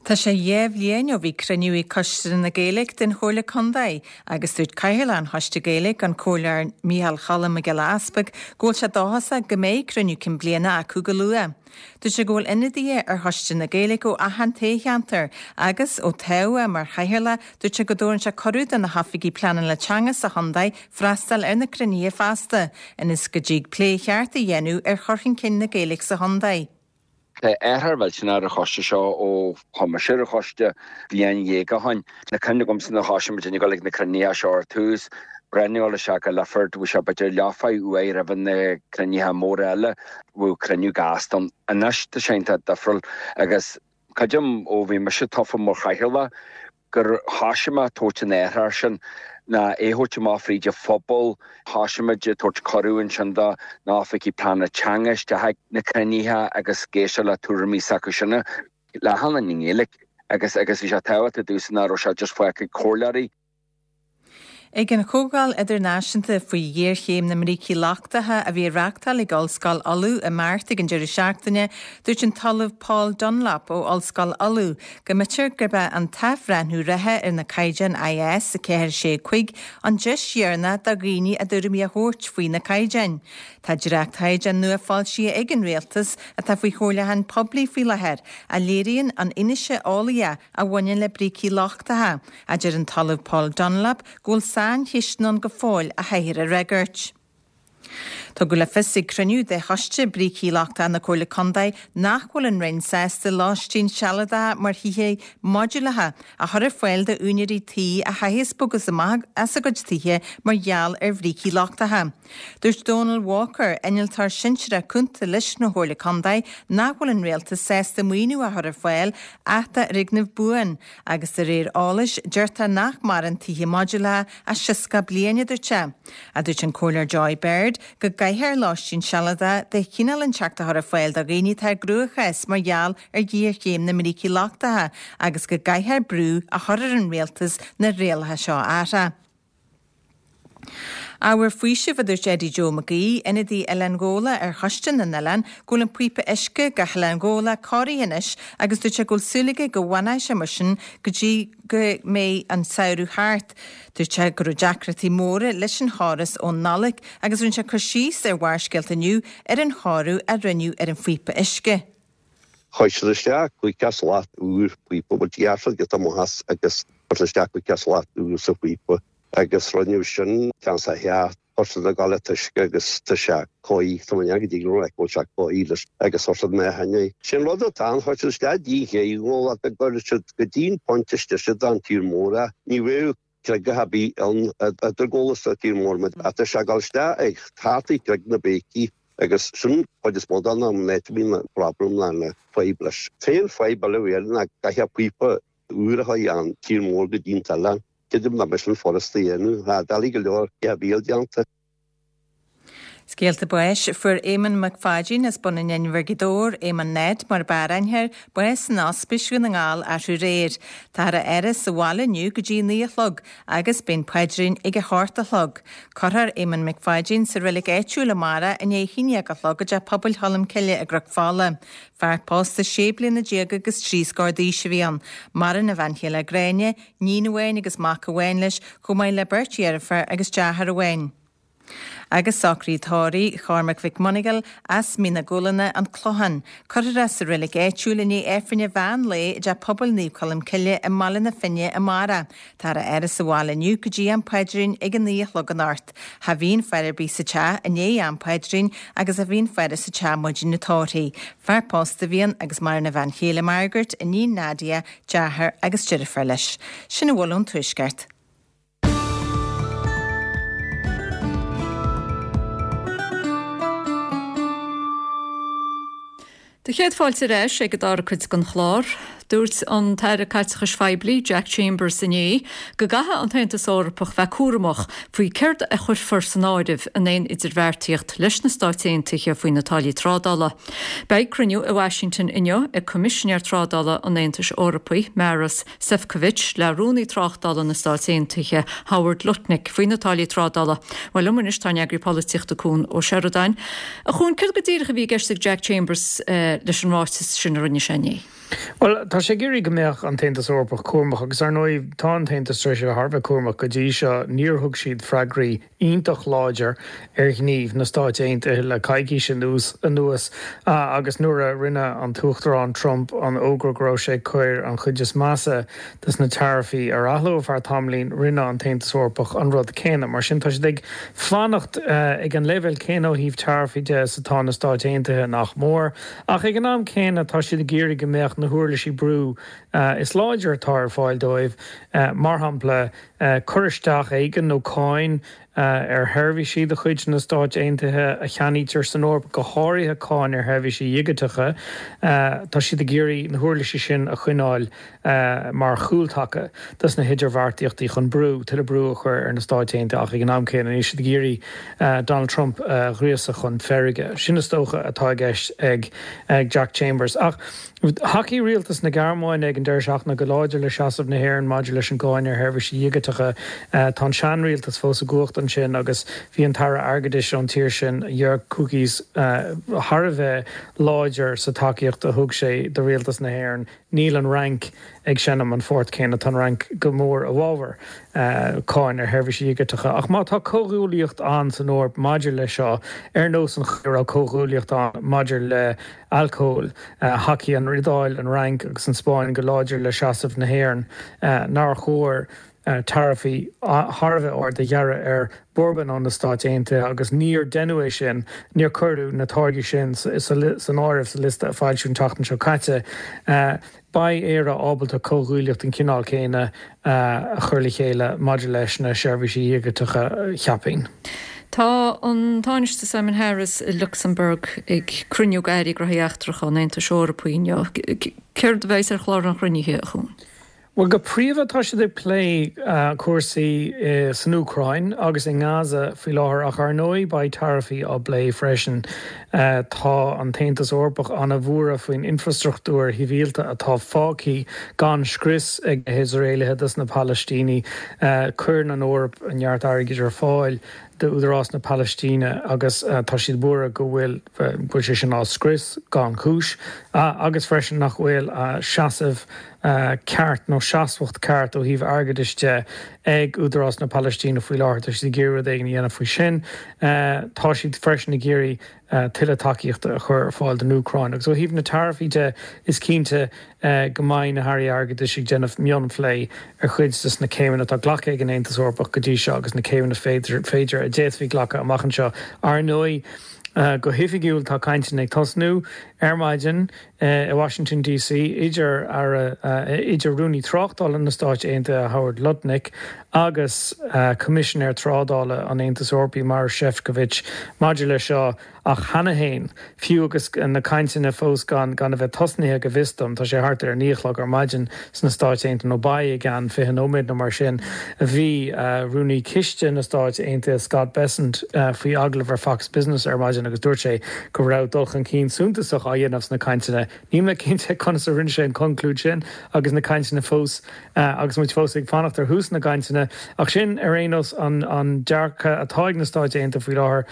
Tá sé dhéa bhliain ó bhí cruinniú ag Coiste na Gaeilge den Chomhairle Contae agus dúirt Cathaoirleach an Choiste Gaeilge, an Comhairleoir Micheál Cholm Mac Giolla Easpaig, go bhfuil sé dóchasach go mbeidh cruinniú cinn bliana acu go luath. Dúirt sé go bhfuil ionadaithe ar Choiste na Gaeilge ó achan toghcheantar agus, ó toghadh é mar chathaoirleach, dúirt sé go dtabharann sé cuireadh do na hoifigigh pleanála teanga sa chontae freastal ar na cruinnithe feasta, ionas go dtig plé cheart a dhéanamh ar chur chun cinn na Gaeilge sa chontae. Tá athrú millteanach ar an choiste seo ó chuaigh mise ar an choiste bliain dhéag ó shin. Tá cuimhne agamsa nuair a thosaigh muid ag dul ag na cruinnithe seo ar tús, breathnú isteach i Lifford, bhí sé b'fhéidir leathuair uaidh roimh na cruinnithe móra eile, bhíodh cruinniú gasta ann. Anois tá sé iontach difriúil agus creidim ó bhí mise tofa mar chathaoirleach gur thoisigh mé ag tabhairt an athrú sin, ná é a thabhairt amach fríd an phobal, thoisigh muid ag tabhairt cuireadh ansin do na hoifigigh pleanála teanga isteach ag na cruinnithe agus ag éisteacht le tuairimí s'acu sin le hAlan i nGaeilge agus agus bhí sé tábhachtach domhsa nach raibh sé just fágtha ag comhairleoirí. Ag an Chomhdháil Idirnáisiúnta faoi Ghéarchéim na mBrící Lochtacha a bhí á reáchtáil ag Ollscoil Uladh i Mart ag an deireadh seachtaine, dúirt an tOllamh Paul Dunlop ó Ollscoil Uladh go mb'fhéidir gurb é an t-athbhreithniú reatha ar na caighdeáin IS 4 6 5 an deis dheireanach do dhaoine a dtuairimí a thabhairt faoi na caighdeáin. Tá dréachtchaighdeán nua foilsithe ag an Rialtas, atá faoi chomhairliúchán poiblí faoi láthair, a léiríonn an fhianaise eolaíoch a bhaineann le brící lochtacha. A deir an tOllamh Paul Dunlop go bhfuil saincheisteanna ann go fóill a chaithfear a fhreagairt. Tugadh le fios ag cruinniú de Choiste Brící Lochtacha na Comhairle Contae nach bhfuil an Roinn sásta lóistín sealadacha mar thithe modúlacha a chur ar fáil d'úinéirí tí a chaitheas bogadh amach as a gcuid tithe mar gheall ar bhrící lochtacha. Dúirt Dónal Walker, Innealtóir Sinsearach Cúnta leis an Chomhairle Contae nach bhfuil an Rialtas sásta maoiniú a chur ar fáil ach d'fhoirgneamh buan Agus de réir eolais, deirtear nach maireann tithe modúlacha ach 60 bliain, a dúirt sé. A dúirt an Comhairleoir Joy Baird go gcaithfear lóistín sealadach de chineál inteacht a chur ar fáil do dhaoine atá i gcruachás mar gheall ar ghéarchéim na mbrící lochtacha agus go gcaithfear brú a chur ar an rialtas na rialacha seo a athrá. Ábhar faoisimh, a dúirt Eddie Joe Mac Aoidh, ionadaí Oileán Ghabhla ar Choiste na nOileán, go bhfuil an píopa uisce go hOileán Ghabhla cóirithe anois agus dúirt sé go bhfuil súil aige go bhfanfaidh sé mar sin go dtí go mbeidh an samhradh thart. Dúirt sé go raibh deacrachtaí móra leis an chóras ón Nollaig agus rinne sé cur síos ar Bharrscéalta inniu ar an chóiriú a rinneadh ar an phíopa uisce. Chuir siad isteach cúig slat úr píopa, bhuel ghearr siad giota amach as agus chuir siad isteach cúig slat úr sa phíopa agus rinneadh sin ceann sa theach, chuir siad ag dul an t-uisce agus tá sé cóirithe, tá mé go dtí go raibh sé cóirithe leis agus chuir siad meáchan é. Sé'n rud atá ann, chuir siad isteach dtí an chéad go gcuir siad go dtí'n pointe istigh siad an tír mór é, ní bheadh creagach ar bith ann idir Gabhla is an tír mór ach tá sé ag dul isteach ag thart ag Creag na Béicí agus sin cuid is mó den am an áit a mbíonn an problem ná na fadhb leis. T-aon fadhb eile a bhí air ná caithfidh píopa úr a chur an tír mór go dtí'n t-oileán. Creidim nach mbeidh sin furasta a dhéanamh. Tá doiligh go leor geimhíl déanta. Scéalta báis, Fuair Éamonn Mac Pháidín as Bun an Inbhir, Gaoth Dobhair, Éamonn Ned mar ab fhearr aithne air, bás in Ospís Dhún na nGall arú aréir. Táthar á fhaire sa bhaile inniu go dtí a 9 a chlog agus beidh an paidrín ag 8 a chlog. Cuirfear Éamonn Mac Pháidín sa reilig áitiúil amárach i ndiaidh a 11 a chlog i dTeach Pobail Cholm Cille i gCnoc Fola. Fear pósta sé bliana déag agus 3 scór d'aois a bhí ann. Maireann a bhean chéile Gráinne, níon amháin agus mac amháin leis, chomh maith le beirt dheirféar agus deartháir amháin. Agus socruithe tórraimh Chormac Mhic Monagail as Mín na Gualanna, An Clochán. Cuirfear é sa reilig áitiúil i ndiaidh Aifreann an mheán lae i dTeach Pobail Naomh Colm Cille i mBaile na Finne amárach. Táthar á fhaire sa bhaile inniu go dtí am paidrín ag a 9 a chlog anocht. Cha bhíonn faire ar bith sa teach i ndiaidh am paidrín agus cha bhíonn faire sa teach maidin an tórraimh. Fear pósta a bhí ann agus maireann a bhean chéile Margaret, iníon Nadia, deartháir agus deirfiúr leis. Sin a bhfuil ón Tuaisceart. Do chéad fáilte ar ais ag an dara cuid den chlár. Dúirt an tAire Caiteachais Phoiblí, Jack Chambers inné go gcaithfidh an tAontas Eorpach bheith cúramach faoi céard a chuirfear san áireamh in aon idirbheartaíocht leis na Stáit Aontaithe faoi na táillí trádála. Beidh cruinniú i Washington inniu ag Coimisinéir Trádála an Aontais Eorpaigh, Maros Sefcovic le Rúnaí Tráchtála na Stáit Aontaithe, Howard Lutnick, faoi na táillí trádála. Bhuel, liom anois tá ár n-eagraí polaitíochta Cuan Ó Seireadáin. A Chuain, céard go díreach a bhí i gceist ag Jack Chambers leis an ráiteas sin a rinne sé inné? Bhuel, tá sé ag iarraidh go mbeadh an tAontas Eorpach cúramach agus, ar ndóigh, tá an tAontas tar éis a bheith thar a bheith cúramach go dtí seo. Níor thug siad freagraí iontach láidir ar ghníomh na Stáit Aontaithe le coicís anuas agus nuair a rinne an tUachtarán Trump an fhógra go raibh sé ag cur an chuid is measa des na taraifí ar athló ar feadh tamaillín, rinne an tAontas Eorpach an rud céanna. Mar sin, tá siad ag fanacht ag an leibhéal céanna ó thaobh taraifí de is atá na Stáit Aontaithe nach mór, ach ag an am céanna tá siad ag iarraidh go mbeadh na huirlisí brú is láidre atá ar fáil dóibh, mar shampla, cur isteach éigin nó cáin ar sheirbhísí de chuid na Stáit Aontaithe a cheannaítear san Eoraip, go háirithe cáin ar sheirbhísí dhigiteacha. Tá siad ag iarraidh na huirlisí sin a choinneáil mar chúltaca dos na hidirbheartaíochtaí chun brú, tuilleadh brú a chur ar na Stáit Aontaithe ach ag an am céanna níl siad ag iarraidh Donald Trump a ghríosadh chun feirge. Sin is dócha atá i gceist ag Jack Chambers. Ach. Thacaigh rialtas na Gearmáine ag an deireadh seachtaine go láidir le seasamh na hÉireann maidir leis an gcáin ar sheirbhísí dhigiteacha. Tá an seanrialtas fós i gcumhacht ansin agus bhí an tAire Airgeadais ón tír sin, Jörg Kukies, thar a bheith láidir sa tacaíocht a thug sé do rialtas na hÉireann. Níl an Fhrainc ag seinm an phort céanna, tá an Fhrainc go mór i bhfabhar cáin ar sheirbhísí dhigiteacha. Ach má tá comhghuaillíocht ann san Eoraip maidir leis seo, ar nós an chaoi a raibh comhghuaillíocht ann maidir le alcól. Thacaigh an Iodáil, an Fhrainc agus an Spáinn go láidir le seasamh na hÉireann nár chóir taraifí thar a bheith ard a ghearradh ar bhourbon ó na Stáit Aontaithe agus níor deineadh é sin, níor cuireadh na táirgí sin san áireamh sa liosta a foilsíodh an tseachtain seo caite. Beidh Éire ábalta comhghuaillíocht den chineál céanna a chur le chéile maidir leis na seirbhísí dhigiteacha, cheapfainn. Tá an Tánaiste Simon Harris i Lucsamburg ag cruinniú d'Airí Gnóthaí Eachtracha an Aontais Eorpaigh inniu. Céard a bheas ar chlár an chruinnithe, a Chuain? Bhuel, go príomha tá siad ag plé cúrsaí san Úcráin agus i nGaza faoi láthair ach ar ndóigh beidh taraifí á bplé freisin. Tá an tAontas Eorpach an-bhuartha faoin infrastruchtúr shibhialta atá fágtha gan scrios ag na hIosraelaithe dos na Palaistínigh. Cuireann an Eoraip neart airgid ar fáil d'Údarás na Palaistíne agus tá siad buartha go bhfuil go bhfuil sé sin á scrios gan chúis agus freisin nach bhfuil seasamh ceart nó seasmhacht ceart ó thaobh airgeadais de ag Údarás na Palaistíne faoi láthair. Tá siad ag iarraidh rud éigin a dhéanamh faoi sin. Tá siad freisin ag iarraidh tuilleadh tacaíochta a chur ar fáil don Úcráin. Agus ó thaobh na taraifí de, is cinnte go mbeidh na hairí airgeadais ag déanamh mionphlé ar chuid de na céimeanna atá glactha ag an Aontas Eorpach go dtí seo agus na céimeanna féidir a d'fhéadfaí glacadh amach anseo. Ar ndóigh, go hoifigiúil tá cainteanna ag tosnú ar maidin. i Washington DC idir Aire, idir Rúnaí Tráchtála na Stáit Aontaithe Howard Lutnick agus Coimisinéir Trádála an Aontais Eorpaigh Maros Sefcovic maidir leis seo ach cheana féin, fiú agus na cainteanna fós gan gan a bheith tosnaithe go bhfios dom, tá sé thart ar a 9 a chlog ar maidin sna Stáit Aontaithe nó beidh i gceann 20 nóiméad nó mar sin, bhí Rúnaí Ciste na Stáit Aontaithe Scott Bessent faoi agallamh ar Fox Business ar maidin agus dúirt sé go raibh dul chun cinn suntasach á dhéanamh sna cainteanna. Níl mé cinnte conas a rinne sé an conclúid sin agus na cainteanna fós agus muid fós ag fanacht ar thús na gcainteanna. Ach sin ar aon nós an dearcadh atá ag na Stáit Aontaithe faoi láthair.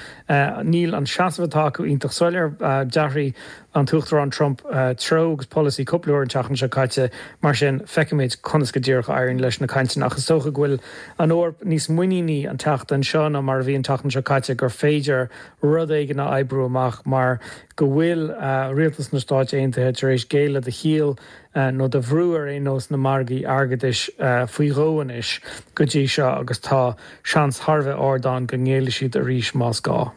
Níl an seasamh atá acu iontach soiléir. D'athraigh an tUachtarán Trump treo agus polasaí cúpla uair an tseachtain seo caite. Mar sin, feicfimid conas go díreach a éiríonn leis na cainteanna. Ach is dócha go bhfuil an Eoraip níos muiníní an tseachtain seo ná mar a bhí an tseachtain seo caite gur féidir rud éigin a oibriú amach mar go bhfuil rialtas na Stáit Aontaithe tar éis géilleadh do chiall nó do bhrú ar aon nós na margaí airgeadais faoi dhó anois go dtí seo agus tá seans thar a bheith ard ann go ngéillfidh siad arís más gá.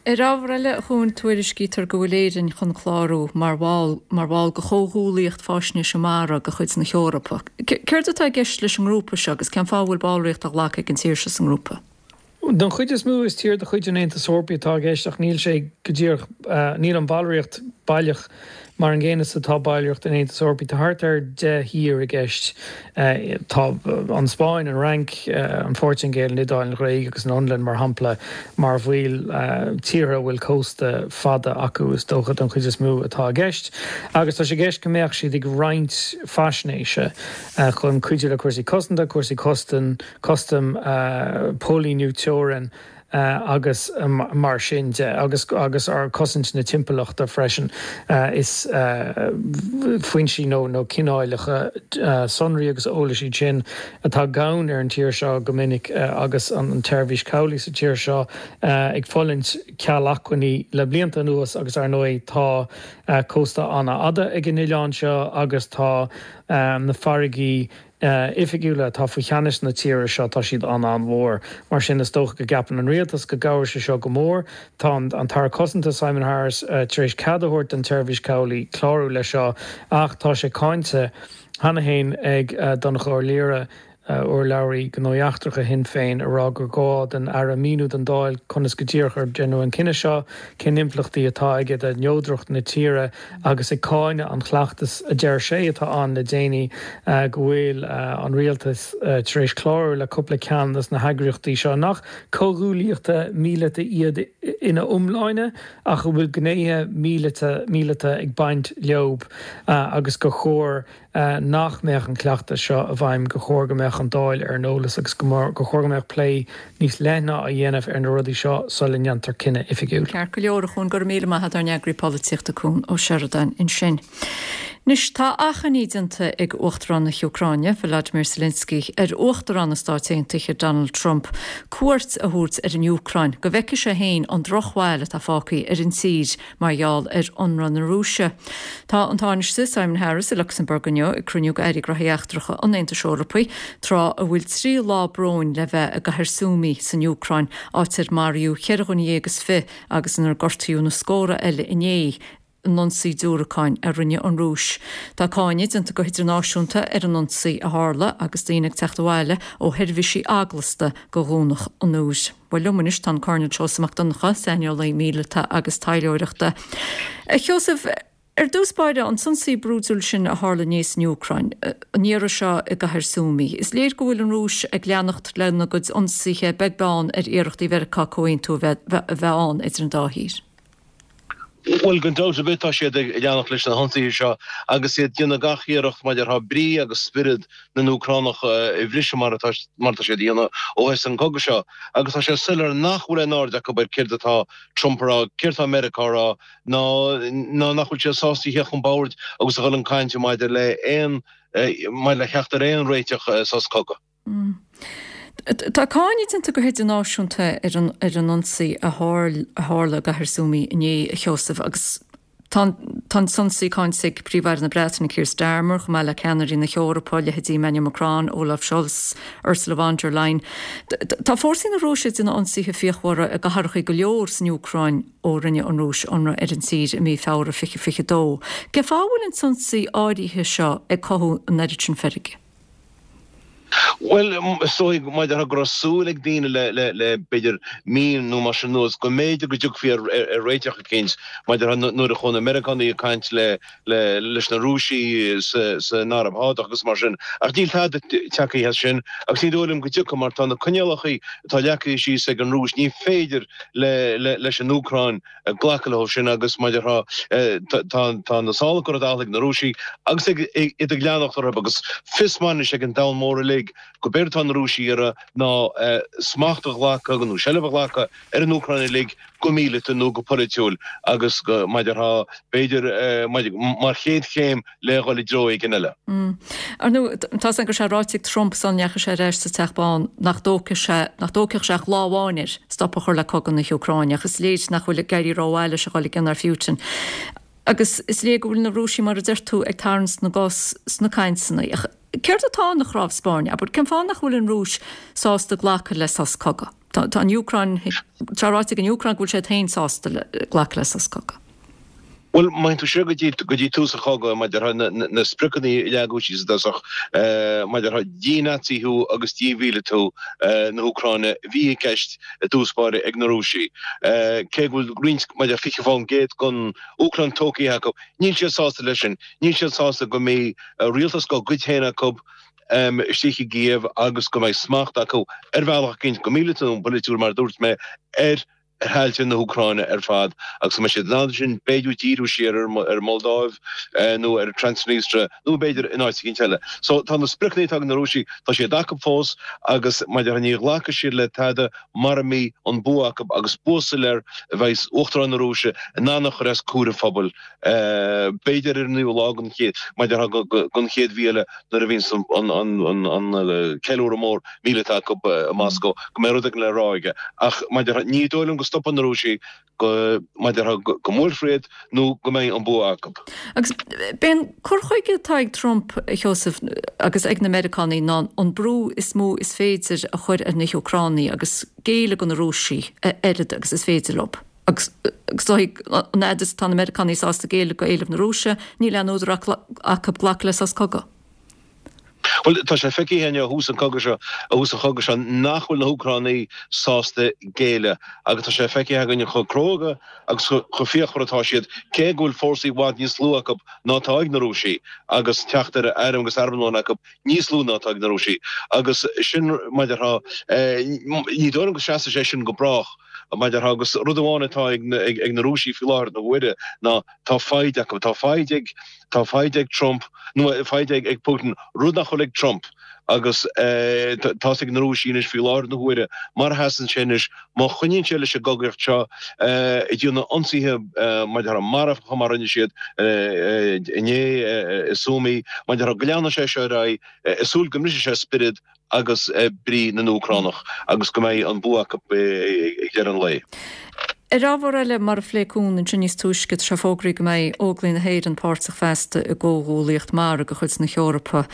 Ar ábhar eile, a Chuain, tuairiscítear go bhfuil Éirinn chun clárú mar bhall mar bhall de Chomhghuallaíocht Faisnéise Mara de chuid na hEorpa. Céard atá i gceist leis an ngrúpa seo agus cén fáth a bhfuil ballraíocht á ghlacadh ag an tír seo sa ngrúpa? Don chuid is mó, is tír de chuid an Aontais Eorpaigh atá i gceist ach níl sé go díreach, níl an bhallraíocht baileach mar an gcéanna is atá ballraíocht an Aontais Eorpaigh. Tá thart ar 10 thír i gceist. Tá an Spáinn, an Fhrainc, an Phortaingéil, an Iodáil, an Ghréig agus an Fhionlainn, mar shampla, mar bhaill, tíortha a bhfuil cósta fada acu is dócha don chuid is mó atá i gceist. Agus tá sé i gceist go mbeadh siad ag roinnt faisnéise chun cuidiú le cúrsaí cosanta, cúrsaí custaim, custaim, póilíniú teorann agus mar sin de, agus agus ar cosaint na timpeallachta freisin. Is foinsí nó nó cineálacha sonraí agus eolais iad sin atá gann ar an tír seo go minic agus an tseirbhís chabhlaigh sa tír seo ag fulaingt ceal acmhainní le blianta anuas agus ar ndóigh tá cósta an-fhada ag an oileán seo agus tá na farraigí oifigiúla atá faoi cheannas na tíre seo, tá siad an-an-mhór. Mar sin, is dócha go gceapann an rialtas go gcabhróidh sé seo go mór. Tá an tAire Cosanta, Simon Harris, tar éis cead a thabhairt don tSeirbhís Chabhlaigh clárú leis seo ach tá sé cáinte cheana féin ag Donnchadh Ó Laoghaire, urlabhraí Gnóthaí Eachtracha Shinn Féin, ag rá gur gá don Aire míniú don Dáil conas go díreach ar deineadh an cinneadh seo, cén impleachtaí atá aige do neodracht na tíre. agus ag cáineadh an chleachtais a deir sé atá ann le déanaí go bhfuil an rialtas tar éis clárú le cúpla ceann de na heagraíochtaí seo, nach comhghuaillíochtaí míleata iad ina iomláine ach a bhfuil gnéithe míleata ag baint leo agus gur chóir nach mbeadh an cleachtas seo i bhfeidhm, gur chóir go mbeadh an Dáil ar an eolas agus gur chóir go mbeadh plé níos leithne á dhéanamh ar na rudaí seo sula ndéantar cinneadh oifigiúil. Ceart go leor, a Chuain, go raibh míle maith agat, ár n-eagraí polaitíochta Cuan Ó Seireadáin ansin. Anois, tá achainí déanta ag Uachtarán na hÚcráine, Volodymyr Zelensky, ar Uachtarán na Stáit Aontaithe, Donald Trump, cuairt a thabhairt ar an Úcráin go bhfeicfidh sé féin an drochbhail atá fágtha ar an tír Mar gheall ar ionradh na Rúise. Tá an Tánaiste Simon Harris i Lucsamburg inniu ag cruinniú d'Airí Gnóthaí Eachtracha an Aontais Eorpaigh, tráth a bhfuil 3 lá bróin le bheith i gcathair Sumy san Úcráin, áit ar maraíodh cheithre dhuine dhéag is fi agus inar gortaíodh na scórtha eile inné in ionsaí diúracáin a rinne an Rúis. Tá cáineadh déanta go hidirnáisiúnta ar an ionsaí a tharla agus daoine ag teacht abhaile ó sheirbhísí eaglasta go Dhomhnach an Iúir. Bhuel liom anois tá an Coirnéal Seosamh Mac Donncha, saineolaí míleata agus taidhleoireachta. A Sheosaimh, ar dtús báire, an t-ionsaí brúidiúil sin a tharla inné san Úcráin, an iarraidh seo i gcathair Sumy, is léir go bhfuil an Rúis ag leanacht lena gcuid ionsaithe beag beann ar iarrachtaí Mheiriceá comhaontú a bheith ann idir an dá thír. Bhuel, gan dabht ar bith tá siad ag leanacht leis na hionsaithe seo agus iad ag déanamh gach iarracht mar a déarfá brí agus spiorad na nÚcránach a bhriseadh mar atá mar atá siad a dhéanamh ó thosaigh an cogadh seo. Agus tá sé soiléir nach bhfuil aon aird acu ar céard atá Trump a rá, céard atá Meiriceá a rá, ná ná nach bhfuil siad sásta a theacht chun boird agus a dhul chun cainte maidir le aon maidir le theacht ar aon réiteach sos cogaidh. Tá cáineadh déanta go hidirnáisiúnta ar an ionsaí a tharla i gcathair Sumy inné, a Sheosaimh, agus. Tá an t-ionsaí cáinte ag Príomh-Aire na Breataine Keir Starmer, chomh maith le ceannairí na hEorpa, leithéidí Emmanuel Macron, Olaf Scholz, Ursula von der Leyen. Tá fórsaí na Rúise ag déanamh ionsaithe fíochmhara i gcathracha go leor san Úcráin ó rinne an Rúis ionradh ar an tír i mí Feabhra 2022. Cén fáth a bhfuil an t-ionsaí áirithe seo ag cothú an oiread sin feirge? Bhuel, is dóigh, mar a déarfá, go raibh súil ag daoine le, le b'fhéidir mí nó mar sin anuas, go mb'fhéidir go dtiocfaí ar réiteach eicínt, mar a déarfá, nuair a chuaigh na Meiriceánaigh ag caint le, leis na Rúisigh san Araib Shádach agus mar sin. Ach níl tada tagtha as sin agus ní dóigh liom go dtiocfaidh mar tá na coinníollacha atá leagtha síos ag an Rúis, ní féidir le, leis an Úcráin glacadh leo sin agus mar a déarfá tá na sála curtha dall ag na Rúisigh agus iad ag leanacht orthu agus fios maith anois ag an domhan mór uilig go b'éard atá na Rúisigh ag iarraidh ná smacht a ghlacadh nó seilbh a ghlacadh ar an Úcráin uilig go míleata nó go polaitiúil agus mar a déarfá b'fhéidir mar chéad chéim le dhul i dtreo éigin eile. Ar ndóigh, tá 's againn go raibh sé ráite ag Trump sula ndeachaigh sé ar ais sa Teach Bán nach dtógfadh sé, nach dtógfadh sé ach lá amháin air stop a chur le cogadh na hÚcráine, ach is léir nach bhfuil ag éirí rómhaith leis a dhul i gcion ar Phutin. Agus is léir go bhfuil na Rúisigh, mar a deir tú, ag tarraingt na gcos sna cainteanna. Ach céard atá ina chnámh spairne? Abair, cén fáth nach bhfuil an Rúis sásta glacadh le sos cogaidh? Tá an Úcráin, tá ráite ag an Úcráin go bhfuil siad féin sásta glacadh le sos cogaidh. Bhuel, má théann tú siar go dtí, go dtí tús an chogaidh, mar a déarfá, na spriocanna a leagadh síos i dtosach, mar a déarfá, dí-Naitsíú agus dímhíleatú na hÚcráine a bhí i gceist i dtús báire ag na Rúisigh. Cé go bhfuil roinnt, mar a déarfá, 20% den Úcráin tógtha acu, níl siad sásta leis sin. Níl siad sásta go mbeidh rialtas dá gcuid féin acu istigh i gCív agus go mbeidh smacht acu ar bhealach eicínt, go míleata nó polaitiúil, mar a dúirt mé, ar thailte na hÚcráine ar fad agus go mbeidh siad in ann ansin b'fhéidir díriú siar ar an Moldáiv nó ar Transnistria nó b'fhéidir in áit eicínt eile. So tá na spriocanna atá ag na Rúisigh, tá siad acu fós agus mar a déarfá ní ghlacfaidh siad le tada mara mbeidh an bua acu agus bua soiléir a bheidh Uachtarán na Rúise in ann a chur os comhair an phobail b'fhéidir ar an naoú lá den chéad, mar a déarfá, den chéad mhí eile nuair a bhíonns an ceiliúradh mór míleata acu i Moscó, go mbeidh rud éigin le rá aige. Ach, mar a déarfá, ní dóigh liom go stopfaidh na Rúisigh go, mar a déarfá, go mbuailfear iad nó go mbeidh an bua acu. Agus b'é an cur chuige atá ag Trump, a Sheosaimh, agus ag na Meiriceánaigh ná an brú is mó is féidir a chur ar na hÚcránaigh agus géilleadh do na Rúisigh a oiread agus is féidir leo. Agus is dóigh, an fhad is atá na Meiriceánaigh sásta géilleadh do éilimh na Rúise, níl aon údar acu glacadh le sos cogaidh. Bhuel, tá sé feicthe againn ó thús an chogaidh seo, ó thús an chogaidh seo, nach bhfuil na hÚcránaigh sásta géilleadh agus tá sé feicthe againn chomh cróga agus chomh fíochmhar atá siad, cé go bhfuil fórsaí i bhfad níos lú acu ná atá ag na Rúisigh agus teacht ar airm agus armlón acu níos lú ná atá ag na Rúisigh. Agus sin, mar a déarfá, ní dóigh liom go seasfaidh sé sin go brách. Mar a déarfá, agus rud amháin atá ag na Rúisigh faoi láthair na huaire ná tá foighid acu, tá foighid ag, tá foighid ag Trump, nó foighid ag Putin, rud nach bhfuil ag Trump. Agus tá's ag na Rúisigh anois faoi láthair na huaire, mar a sheasann sé anois, má choinníonn sé leis an gcogaíocht seo, ag déanamh ionsaithe mar a déarfá marfacha mar a rinne siad inné i Sumy, mar a déarfá, go leanfaidh sé seo ar aghaidh, ag súil go mbrisfidh sé spiorad agus brí na nÚcránach agus go mbeidh an bua acu ag deireadh an lae. Ar ábhar eile, mar a phléigh Cuan ansin níos túisce, tá sé fógraithe go mbeidh Óglaigh na hÉireann páirteach feasta i gcomhghuaillíocht mara de chuid na hEorpa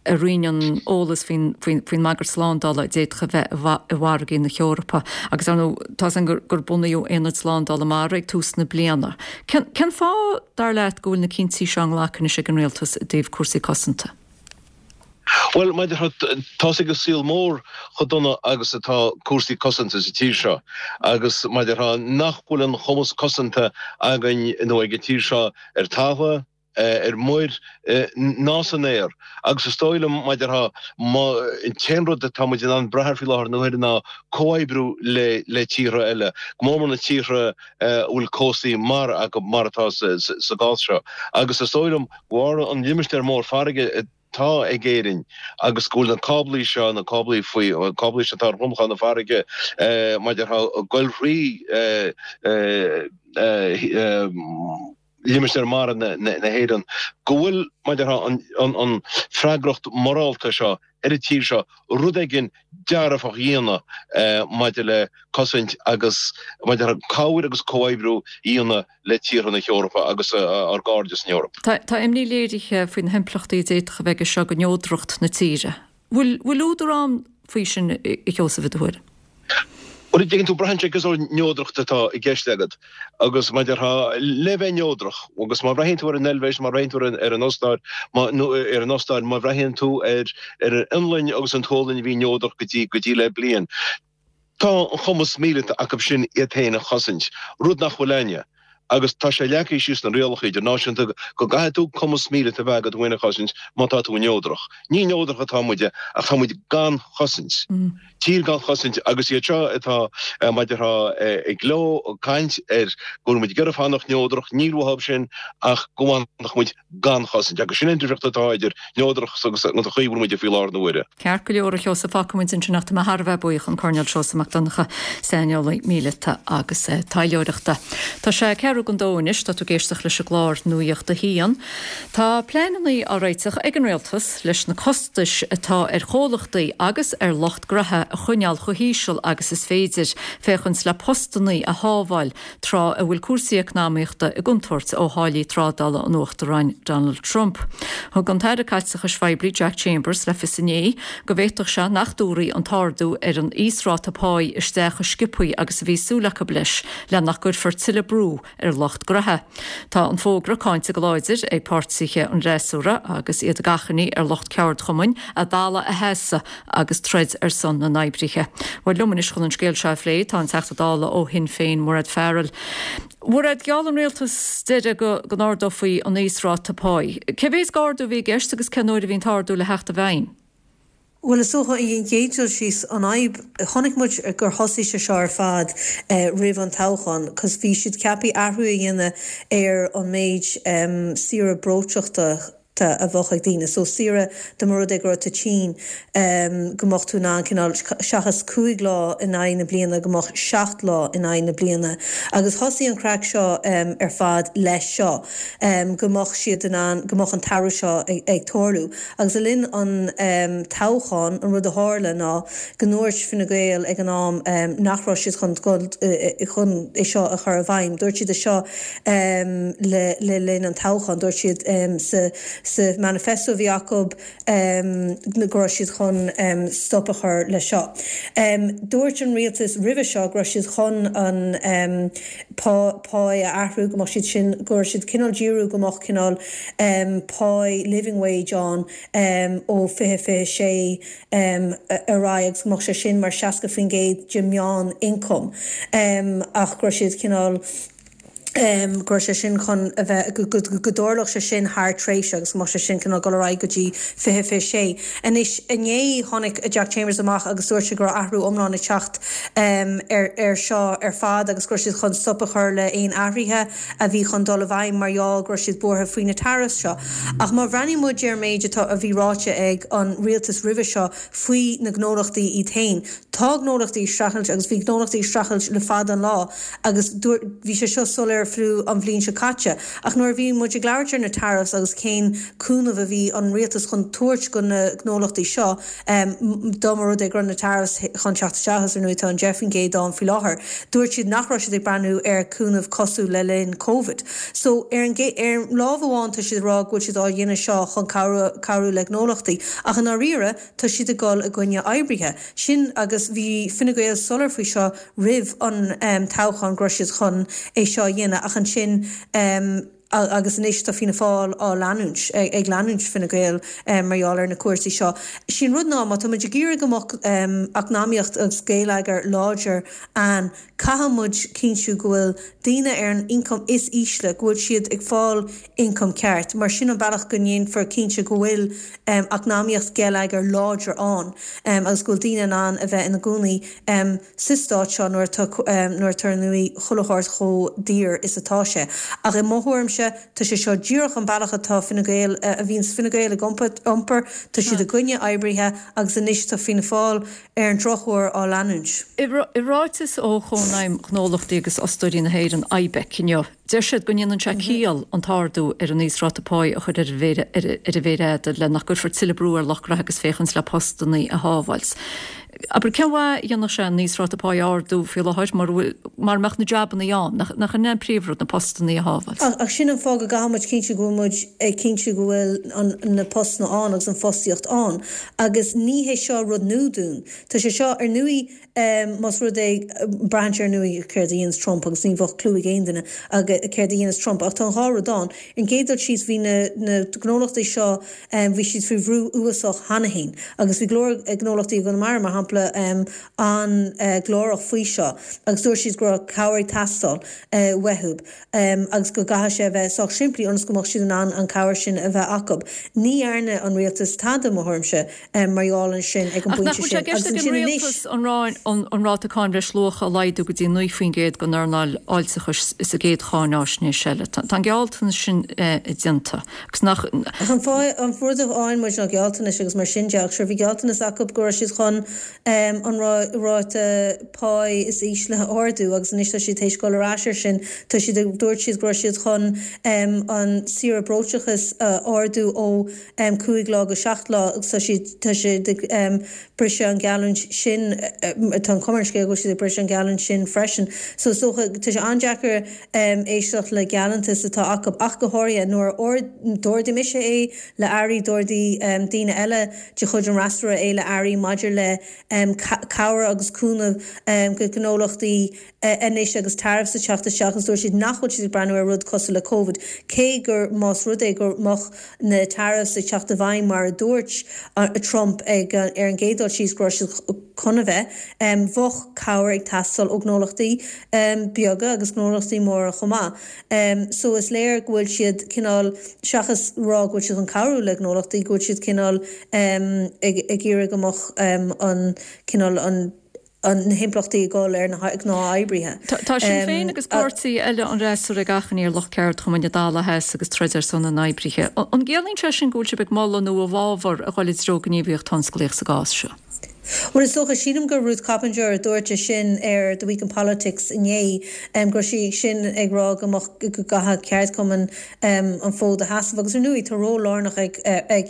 a roinneann eolas faoin mbagairt slándála a d'fhéadfadh a bheith i bhfarraigí na hEorpa. Agus ar ndóigh, tá's againn gur bunaíodh Aonad Slándála Mara ag tús na bliana. Cén fáth, dar leat, go bhfuil na cinntí seo á nglacadh anois ag an Rialtas i dtaobh cúrsaí cosanta? Bhuel, mar a déarfá, tá's ag an saol mór chomh dona agus atá cúrsaí cosanta sa tír seo agus mar a déarfá nach bhfuil an cumas cosanta againn nó ag an tír seo ar talamh, ar muir ná san aer. Agus is dóigh liom, mar a déarfá, an t-aon rud atá muid in ann brath air faoi láthair na huaire ná comhoibriú le le tíortha eile, go mór mór na tíortha a bhfuil cóstaí mara acu mar atá sa gcás seo. Agus is dóigh liom de bharr an limistéar mór farraige atá ag Éirinn agus go bhfuil na cáblaí seo, na cáblaí faoi, cáblaí seo atá ar dhromchla na farraige, mar a déarfá, ag goil thrí. Limistéar Mara na hÉireann, go bhfuil, mar a déarfá, an freagracht mhorálta seo ar an tír seo rud éigin dearfach a dhéanamh maidir le cosaint agus, mar a déarfá, cabhair agus comhoibriú a dhéanamh le tíortha na hEorpa agus ár gcairde san Eoraip. Tá imní léirithe faoi na himpleachtaí a d'fhéadfadh a bheith aige seo do neodracht na tíre. Bhfuil údar ann faoi sin, a Sheosaimh, i do thuairim? Bhuel, an dtuigeann tú, braitheann sé cén sórt neodracht atá i gceist agat agus mar a déarfá, le bheith neodrach, agus má bhreathnaíonn tú ar an Eilvéis, má bhreathnaíonn tú ar an Ostáir, nó ar an Ostáir, má bhreathnaíonn tú ar ar an Fhionlainn agus an tSualainn a bhí neodrach go dtí go dtí le bliain, tá an cumas míleata acu sin iad féin a chosaint, rud nach bhfuil againne. Agus tá sé leagtha síos sna rialacha idirnáisiúnta go gcaithfidh tú cumas míleata a bheith agat thú féin a chosaint má tá tú neodrach. Ní neodrach atá muide ach tá muid gan chosaint. Tír gan chosaint agus iad seo atá, mar a déarfá, ag gleo, ag caint ar go bhfuil muid ag iarraidh fanacht neodrach, níl uathu sin ach go bhfanfadh muid gan chosaint. Agus sin an difríocht atá idir neodracht agus an chaoi a bhfuil muide faoi láthair na huaire. Ceart go leor, a Sheosaimh, fágfaidh muid ansin ach tá mé thar a bheith buíoch, an Coirnéal Seosamh Mac Donncha, saineolaí míleata agus taidhleoireachta. Tá sé ceathrú don dó anois, tá tú ag éisteacht leis an gclár Nuacht a hAon. Tá pleananna á réiteach ag an Rialtas leis na costais atá ar chomhlachtaí agus ar lucht graithe a choinneáil chomh híseal agus is féidir, féachaint le postannaí a shábháil tráth a bhfuil cúrsaí eacnamaíochta i gcontúirt ó tháillí trádála an Uachtaráin Donald Trump. Thug an tAire Caiteachais Phoiblí Jack Chambers le fios inné go bhféadfadh sé nach dtabharfaí an t-ardú ar an íosráta páí isteach chomh sciobthaí agus a bhí súil acu leis le nach gcuirfear tuilleadh brú ar lucht graithe. Tá an fógra cáinte go láidir ag páirtithe an fhreasúra agus iad ag achainí ar lucht ceardchumainn a dtala a sheasamh agus troid ar son na n-oibrithe. Bhuel, liom anois chun an scéal seo a phlé tá an Teachta Dála ó Shinn Féin, Mairéad Farrell. Mhairéad, gheall an rialtas deireadh go n-ardófaí an íosráta páí. Cé mhéad d'ardú a bhí i gceist agus cén uair a bhí an t-ardú le theacht i bhfeidhm? Bhuel, is dócha, an chéad dul síos, an fhadhb, chonaic muid gur thosaigh sé seo ar fad roimh an toghchán, 'cause bhí siad ceaptha athrú a dhéanamh ar an méid saoire breoiteachta a bheadh ag daoine. So saoire, dá mba rud é go raibh tú tinn, go mbeadh tú in ann cineál, seachas 5 lá in aghaidh na bliana, go mbeadh 7 lá in aghaidh na bliana. Agus thosaigh an craic seo ar fad leis seo, go mbeadh siad in ann, go mbeadh an t-athrú seo ag tarlú. Agus le linn an toghcháin, an rud a tharla ná go ndúirt Fine Gael ag an am nach raibh siad chun dul chun é seo a chur i bhfeidhm. Dúirt siad é seo le linn an toghcháin. Dúirt siad sa sa manifesto a bhí acu go raibh siad chun stop a chur leis seo. Dúirt an rialtas roimhe seo go raibh siad chun an páí a athrú, go mbeadh siad sin, go raibh siad cineál díriú go mbeadh cineál páí living wage ann ó 2026 ar aghaidh agus go mbeadh sé sin mar 60% de meán ioncam ach go raibh siad cineál go raibh sé sin chun a bheith, go dtarlódh sé sin thar tréimhse agus go mbeadh sé sin cineál dul ar aghaidh go dtí 2026. Anois, inné tháinig Jack Chambers amach agus dúirt sé go raibh athrú iomlán ag teacht ar seo ar fad agus go raibh siad chun stop a chur le aon athruithe a bhí chun dul i bhfeidhm mar gheall go raibh siad buartha faoi na tariffs seo. Ach má bhreathnaíonn muid ar an méid atá, a bhí ráite ag an rialtas roimhe seo faoi na gnólachtaí iad féin, tá gnólachtaí ag streachailt agus bhí gnólachtaí ag streachailt le fada an lá agus dúirt, bhí sé seo soiléir fiú an bhliain seo caite. Ach nuair a bhí muid ag labhairt ar na tariffs agus cén cúnamh a bhí an rialtas chun tabhairt go na gnólachtaí seo, Dá mba rud é go raibh na tariffs chun teacht isteach, agus ar ndóigh tá an 10% ann faoi láthair, dúirt siad nach raibh siad ag breathnú ar cúnamh cosúil le linn Covid. So ar an ar lámh amháin tá siad ag rá go bhfuil siad á dhéanamh seo chun cabhrú cabhrú le gnólachtaí, ach i ndáiríre tá siad ag dul i gcoinne oibrithe. Sin agus bhí Fine Gael soiléir faoi seo roimh an toghchán go raibh siad chun é seo a dhéanamh ach ansin Agus anois tá Fianna Fáil á leanúint, ag leanúint Fine Gael mar gheall ar na cúrsaí seo. Sé an rud ná, má tá muid ag iarraidh go mbeadh eacnamaíocht agus geilleagar láidir ann, caithfidh muid cinntiú go bhfuil daoine ar an ioncam is ísle, go bhfuil siad ag fáil ioncam ceart, mar sin an bealach go ndéanfar cinnte go bhfuil eacnamaíocht geilleagar láidir ann agus go bhfuil daoine in ann a bheith ina gcónaí sa stát seo nuair atá nuair atá ar ndóigh chuile shórt chomh daor is atá sé. Ach i mo thuairimse, tá sé seo díreach an bealach atá Fine Gael, a bhíonns Fine Gael ag iompar, tá siad i gcoinne oibrithe agus anois tá Fianna Fáil ar an drochuair á leanúint. I ráiteas ó Chónaidhm Ghnólachtaí agus Fhostóirí na hÉireann, IBEC, inniu, Deir siad go ndéanann sé ciall an t-ardú ar an íosráta páí a chur ar an mhéar fhada le nach gcuirfear tuilleadh brú ar lucht graithe agus féachaint le postannaí a shábháilt. Abair, cén mhaith a dhéanfadh sé an íosráta páí a ardú faoi láthair mura bhfuil, mara mbeadh na jabannaí ann? Nach in é an príomhrud, na postannaí a shábháilt? Ach sin an fáth go gcaithfidh muid cinntiú go bhfuil muid ag cinntiú go bhfuil na postanna ann agus an fostaíocht ann. Agus ní hé seo rud nua dúinn. Tá sé seo, ar ndóigh, Más rud é, braitheann sé ar ndóigh céard a dhéanas Trump agus ní bheadh clue ag aon duine céard a dhéanas Trump ach tá an dhá rud ann. Ar an gcéad dul síos bhí na na gnólachtaí seo bhí siad faoi bhrú uafásach cheana féin agus bhí go leor gnólachtaí i gConamara mar shampla an-ghlórach faoi seo agus dúirt siad go raibh cabhair ag teastáil uathu. agus go gcaithfidh sé a bheith sách simplí ionas go mbeadh siad in ann an cabhair sin a bheith acu. Ní dhearna an rialtas tada, mo thuairimse, mar gheall air sin ag an Ach nach bpointe bhfuil sé i sin. gceist Agus ag an ansin anois. rialtas an ráta cáin bhreisluacha a laghdú go dtí 9% don earnáil fháilteachais sa gcéad cháináisnéis eile? Tá an gealltanas sin déanta. Agus nach. Ach an fáth, an rud a fhaigheann muid ná gealltanais agus mar sin de, ach sure bhí gealltanas acu go raibh siad chun an ráta páí is ísle a ardú agus anois tá siad théis dul ar ais air sin. Tá siad ag, dúirt siad go raibh siad chun an saoire breoiteachais a ardú ó 5 lá go 7 lá agus tá siad, tá siad ag briseadh an geallúint sin, tá an chuma ar an scéal go bhfuil siad ag briseadh an geallúint sin freisin. So is dócha, tá sé an-deacair éisteacht le gealltanais atá acu ach go háirithe nuair a d'ardaigh mise é le airí, d'ardaigh daoine eile de chuid an fhreasúra é le airí maidir le cabhair agus cúnamh do ghnólachtaí anois agus tariffs ag teacht isteach agus dúirt siad nach bhfuil siad ag breathnú ar rud cosúil le Covid cé gur más rud é go mbeadh na tariffs ag teacht i bhfeidhm mar a dúirt Trump ag ar an gcéad dul síos go raibh siad chun a bheith, bheadh cabhair ag teastáil ó ghnólachtaí beaga agus gnólachtaí móra chomh maith. So is léir go bhfuil siad cineál, seachas rá go bhfuil siad chun cabhrú le gnólachtaí, go bhfuil siad cineál ag iarraidh go mbeadh an cineál an na himpleachtaí ag dul ar na gnáthoibrithe. Tá Sinn Féin agus páirtí eile an fhreasúra ag achainí ar lucht ceardchumainn na Dála Theas agus troid ar son na n-oibrithe. An gciallaíonn sé sin go bhfuil sibh ag moladh nó i bhfabhar a dhul i dtreo gníomhaíocht thionsclaíoch sa gcás seo? Bhuel, is dócha, sílim gur Ruth Coppinger a dúirt é sin ar The Week in Politics inné, go raibh sí sin ag rá go mbeadh, go gcaithfeadh ceardchumainn an fód a sheasamh. Agus ar ndóigh, tá ról lárnach ag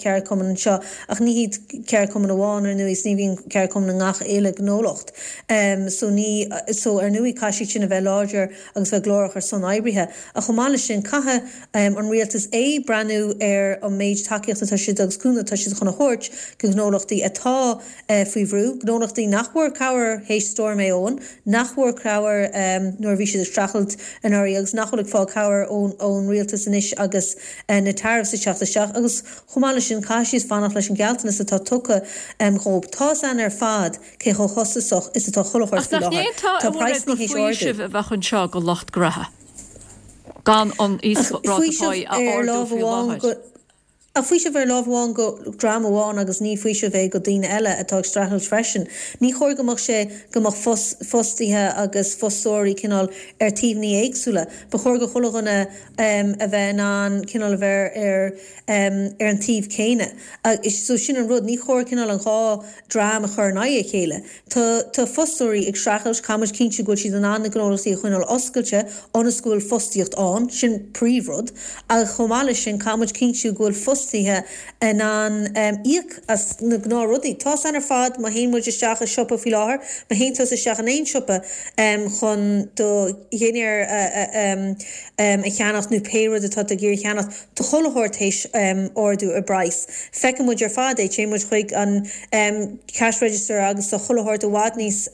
ceardchumainn anseo, ach ní hiad ceardchumainn amháin, ar ndóigh, is ní bhíonn ceardchumainn i ngach uile gnólacht. So ní, so ar ndóigh, caithfidh siad sin a bheith láidir agus bheith glórach ar son oibrithe. Ach chomh maith leis sin, caithfidh an rialtas a breathnú ar an méid tacaíochta atá siad agus cúnamh atá siad chun a thabhairt go gnólachtaí atá faoi bhrú, gnólachtaí nach bhfuair cabhair théis Stoirm Éowyn, nach bhfuair cabhair nuair a bhí siad ag streachailt anuraidh agus nach bhfuil ag fáil cabhair ón rialtas anois agus na tariffs ag teacht isteach agus chomh maith leis sin caithfidh siad fanacht leis an gealltanas atá tugtha dhóibh. Tá's a'inn ar fad cé chomh costasach is atá chuile shórt Ach faoi nach láthair. ndéanfá Tá a mhairéad praghsanna gur théis ardú. faoiseamh a bheadh anseo go lucht graithe gan an íosráta páí Faoiseamh a ar ardú lámh faoi amháin láthair? go Ach faoiseamh ar lámh amháin go dream amháin agus ní faoiseamh é go daoine eile atá ag streachailt freisin. Ní chóir go mbeadh sé go mbeadh fostaithe agus fostóirí cineál ar taobhanna éagsúla. Ba chóir go chuile dhuine a bheith in ann cineál a bheith ar ar an taobh céanna. So sin an rud, ní chóir cineál an dhá dream a chur in aghaidh a chéile. Tá tá fostóirí ag streachailt, caithfidh muid cinntiú go bhfuil siad in ann na gnólachtaí a choinneáil oscailte ionas go bhfuil fostaíocht ann, sin príomhrud. Ach chomh maith leis sin, caithfidh muid cinntiú go bhfuil fostaithe in ann íoc as na gnáthrudaí. Tá's a'inn ar fad, má théann muid isteach i siopa faoi láthair, má théann tusa isteach in aon siopa chun do dhinnéar a cheannacht nó pé rud atá tú ag iarraidh a cheannacht, Tá chuile shórt théis ardú i bpraghas. Feiceann muid ar fad é, téann muid chuig an cash register agus tá chuile shórt i bhfad níos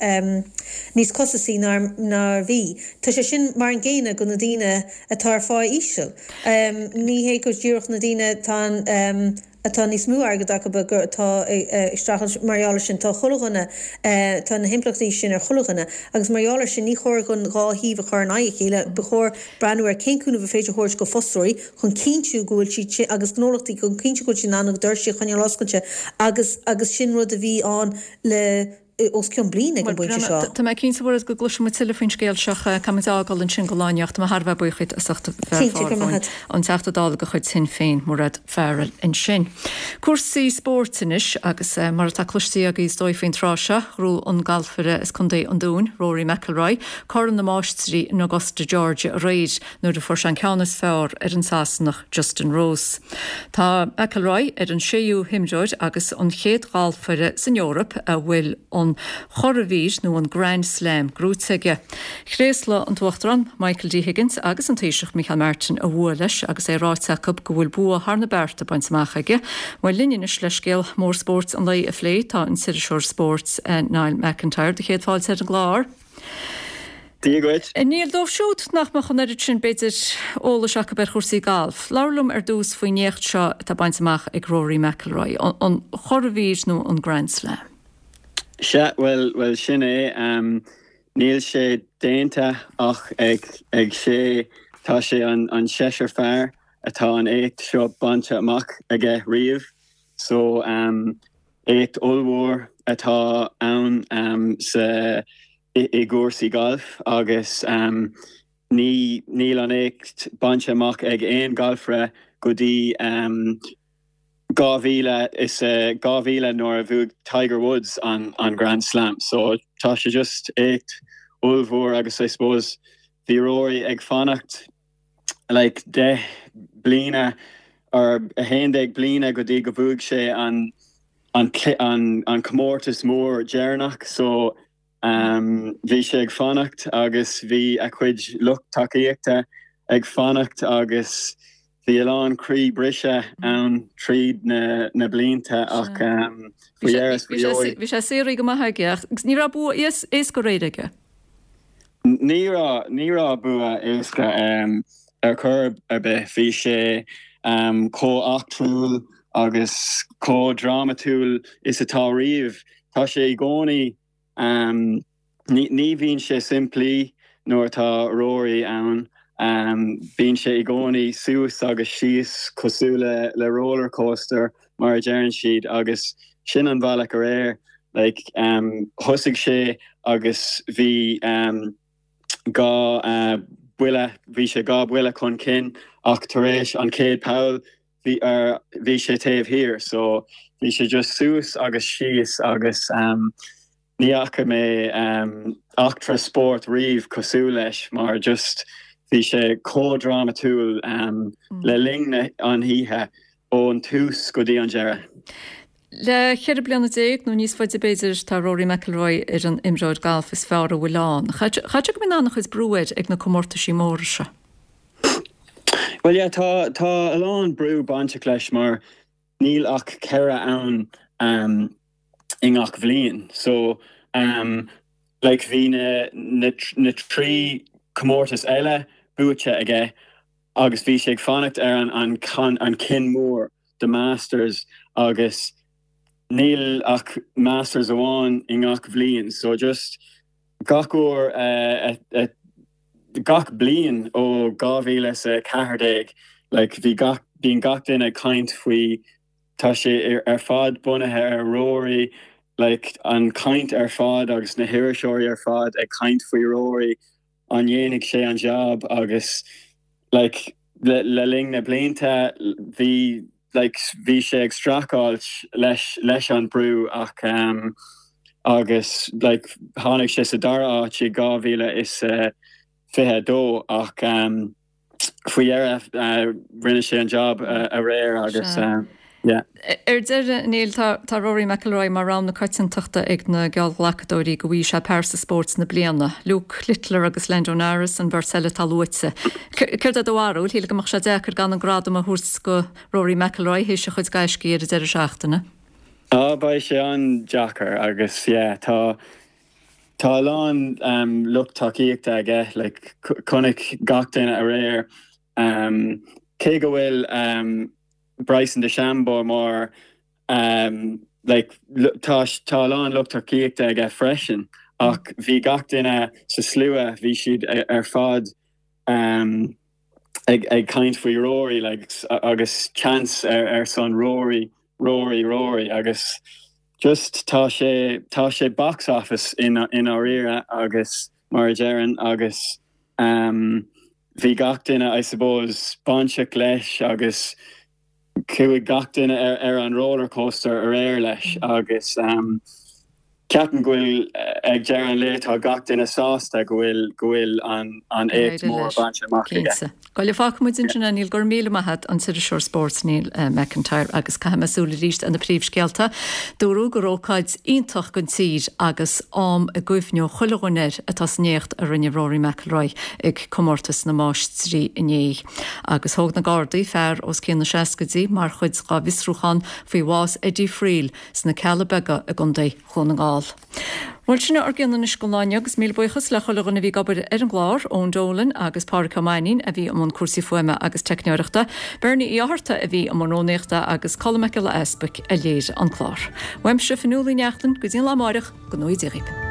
níos costasaí ná mar a bhí. Tá sé sin mar an gcéanna go na daoine atá ar phá íseal. Ní hé go díreach na daoine atá atá níos mó airgead acu atá ag streachailt mar gheall air sin. Tá chuile dhuine, tá na himpleachtaí sin ar chuile dhuine agus mar gheall air sin ní chóir an dhá thaobh a chur in aghaidh a chéile. Ba chóir breathnú ar cén cúnamh a féidir a thabhairt go fostóirí chun cinntiú go bhfuil siad sin, agus gnólachtaí, chun cinntiú go bhfuil siad in ann a ndoirsí a choinneáil oscailte agus agus sin rud a bhí ann le. os cionn bliain ag an bpointe seo. Tá mé cinnte, a Mhairéad, go gcloisfidh muid tuilleadh faoin scéal seo. Caithfidh muid é a fhágáil ansin don lá inniu ach tá mé thar a bheith buíoch díot as ucht a bheith ar Cinnte, go raibh maith agat. An Teachta Dála de chuid Shinn Féin, Mairéad Farrell ansin. Cúrsaí spóirt anois agus mar atá cloiste agaibh is dóigh faoin tráth seo, ghnóthaigh an galfaire as Contae an Dúin, Rory McIlroy, Corn na Máistrí in Augusta, Georgia aréir nuair a fuair sé an ceann is fearr ar an Sasanach Justin Rose. Tá McIlroy ar an séú himreoir agus an chéad ghalfaire san Eoraip a bhfuil an churadhmhír nó an Grand Slam gnóite aige. Thréaslaigh an tUachtarán Michael D Higgins agus an Taoiseach Micheál Martin a bhua leis agus é ráite acu go bhfuil bua thar na bearta bainte amach aige. Bhuel linn anois le scéal mór spóirt an lae a phlé tá an t-iriseoir spóirt Niall McIntyre. Do chéad fáilte ar an gclár. Dia dhuit. A Niall, dóibh siúd nach mbeadh an oiread sin, b'fhéidir, eolais acu ar chúrsaí gailf, labhair liom ar dtús faoin éacht seo atá bainte amach ag Rory McIlroy, an churadhmhír nó an Grand Slam. Sea, bhuel, bhuel, sin é. Níl sé déanta ach ag ag sé, tá sé an an seisear fear atá an éacht seo bainte amach aige riamh. So, éacht ollmhór atá ann sa i gcúrsaí gailf agus ní níl an éacht bainte amach ag aon ghalfaire go dtí 2000 is 2000 nuair a bhuaigh Tiger Woods an an Grand Slam. So tá sé just éacht ollmhór agus I suppose bhí Rory ag fanacht like 10 bliana or 11 bliana go dtí go bhuaigh sé an an an an comórtas mór deireanach so bhí sé ag fanacht agus bhí a chuid lucht tacaíochta ag fanacht agus bhí a lán croí brise ann tríd na na blianta ach faoi dheireadh is faoi dheoidh. Bhí sé saothraithe go maith aige ach ní raibh bua éasca aréir aige. Ní raibh, ní raibh bua éasca ar chor ar bith. Bhí sé chomh eachtrúil agus chomh drámatúil is atá riamh. Tá sé i gcónaí, ní bhíonn sé simplí nuair atá Rory ann. Bíonn sé i gcónaí suas agus síos cosúil le roller coaster mar a deireann siad agus sin an bhealach aréir. Like, thosaigh sé agus bhí 2 buille, bhí sé 2 buille chun cinn ach tar éis an chéad poll bhí ar, bhí sé taobh thiar so bhí sé just suas agus síos agus ní fhaca mé eachtra spóirt riamh cosúil leis mar just bhí sé chomh drámatúil le linn an oíche ón tús go dtí an deireadh. Le 14 bliana nó níos faide b'fhéidir, tá Rory McIlroy ar an imreoir gailf is fearr a bhfuil ann. Chaithfeadh sé go mbíonn an-chuid brú air ag na comórtaisí móra seo. Bhuel yeah, tá tá a lán brú bainteach leis mar níl ach 4 ann um, i ngach bhliain. So um, like bhí na, na, na 3 comórtas eile buaite aige agus bhí sé ag fanacht ar an, an, an cinn mór. The Masters agus níl ach Masters amháin i ngach bhliain so just gach uair a gach bliain ó 2014 like bhí gach bíonn gach duine ag caint faoi tá sé ar fad bunaithe ar Rory like an caint ar fad agus na hiriseoirí ar fad ag caint faoi Rory an ndéanfaidh sé an jab agus like le le linn na blianta bhí like bhí sé ag streachailt leis leis an brú ach um agus like tháinig sé sa dara áit i 2022 ach um faoi dheireadh rinne sé an job aréir agus yeah. Ar deireadh, Niall, tá Rory McIlroy mar rogha na coitiantachta ag na geallghlacadóirí go bhfaighidh sé pearsa spóirt na bliana. Luke Littler agus Lando Norris an bheirt eile atá luaite. Céard é do bharúil? Shílfeá go mbeadh sé deacair gan an gradam a thabhairt go Rory McIlroy théis a chuid gaiscí ar an deireadh seachtaine. Á, beidh sé an-deacair agus yeah, tá Tá a lán lucht tacaíochta aige, like chonaic gach duine aréir, cé go bhfuil Bryson DeChambeau mar like tá tá a lán lucht tacaíochta aige freisin ach bhí gach duine sa slua, bhí siad ar fad ag ag caint faoi Rory like agus chants ar ar son Rory, Rory, Rory agus. Just tá sé, tá sé box office i ndáiríre agus mar a deireann agus ehm bhí gach duine I suppose bainteach leis agus chuaigh gach duine ar ar an roller coaster aréir leis agus ehm ceapaim go bhfuil ag deireadh an lae tá gach duine sásta go bhfuil go bhfuil an an éacht mór bainte amach aige. Cinnte. Bhuel, fágfaidh muid ansin é, Neil, go raibh míle maith agat, an t-iriseoir spóirt Neil McIntyre agus caithfidh mé súil arís ar na príomhscéalta. Dúradh gur ócáid iontach don tír agus am a gcuimhneoidh chuile dhuine air atá san éacht a rinne Rory McIlroy ag Comórtas na Máistrí inné. Agus thóg na Gardaí fear os cionn na seascaidí mar chuid dá bhfiosrúchán faoi bhás Eddie Friel sna Cealla Beaga i gContae Dhún na nGall. Bhuel, sin ár gcion anois don lá inniu agus míle buíochas le chuile dhuine a bhí ag obair ar an gclár, Eoin Dolan agus Pádraic Ó Mainnín a bhí i mbun cúrsaí fuaime agus teicneoireachta, Bernie Uí Fhátharta a bhí i mbun rúnaíochta agus Colm Mac Giolla Easbuic a léirigh an clár. Uaimse, Fionnuala Ní Neachtain, go dtí an lá amáireach, go ngnóthaí Dia dhaoibh.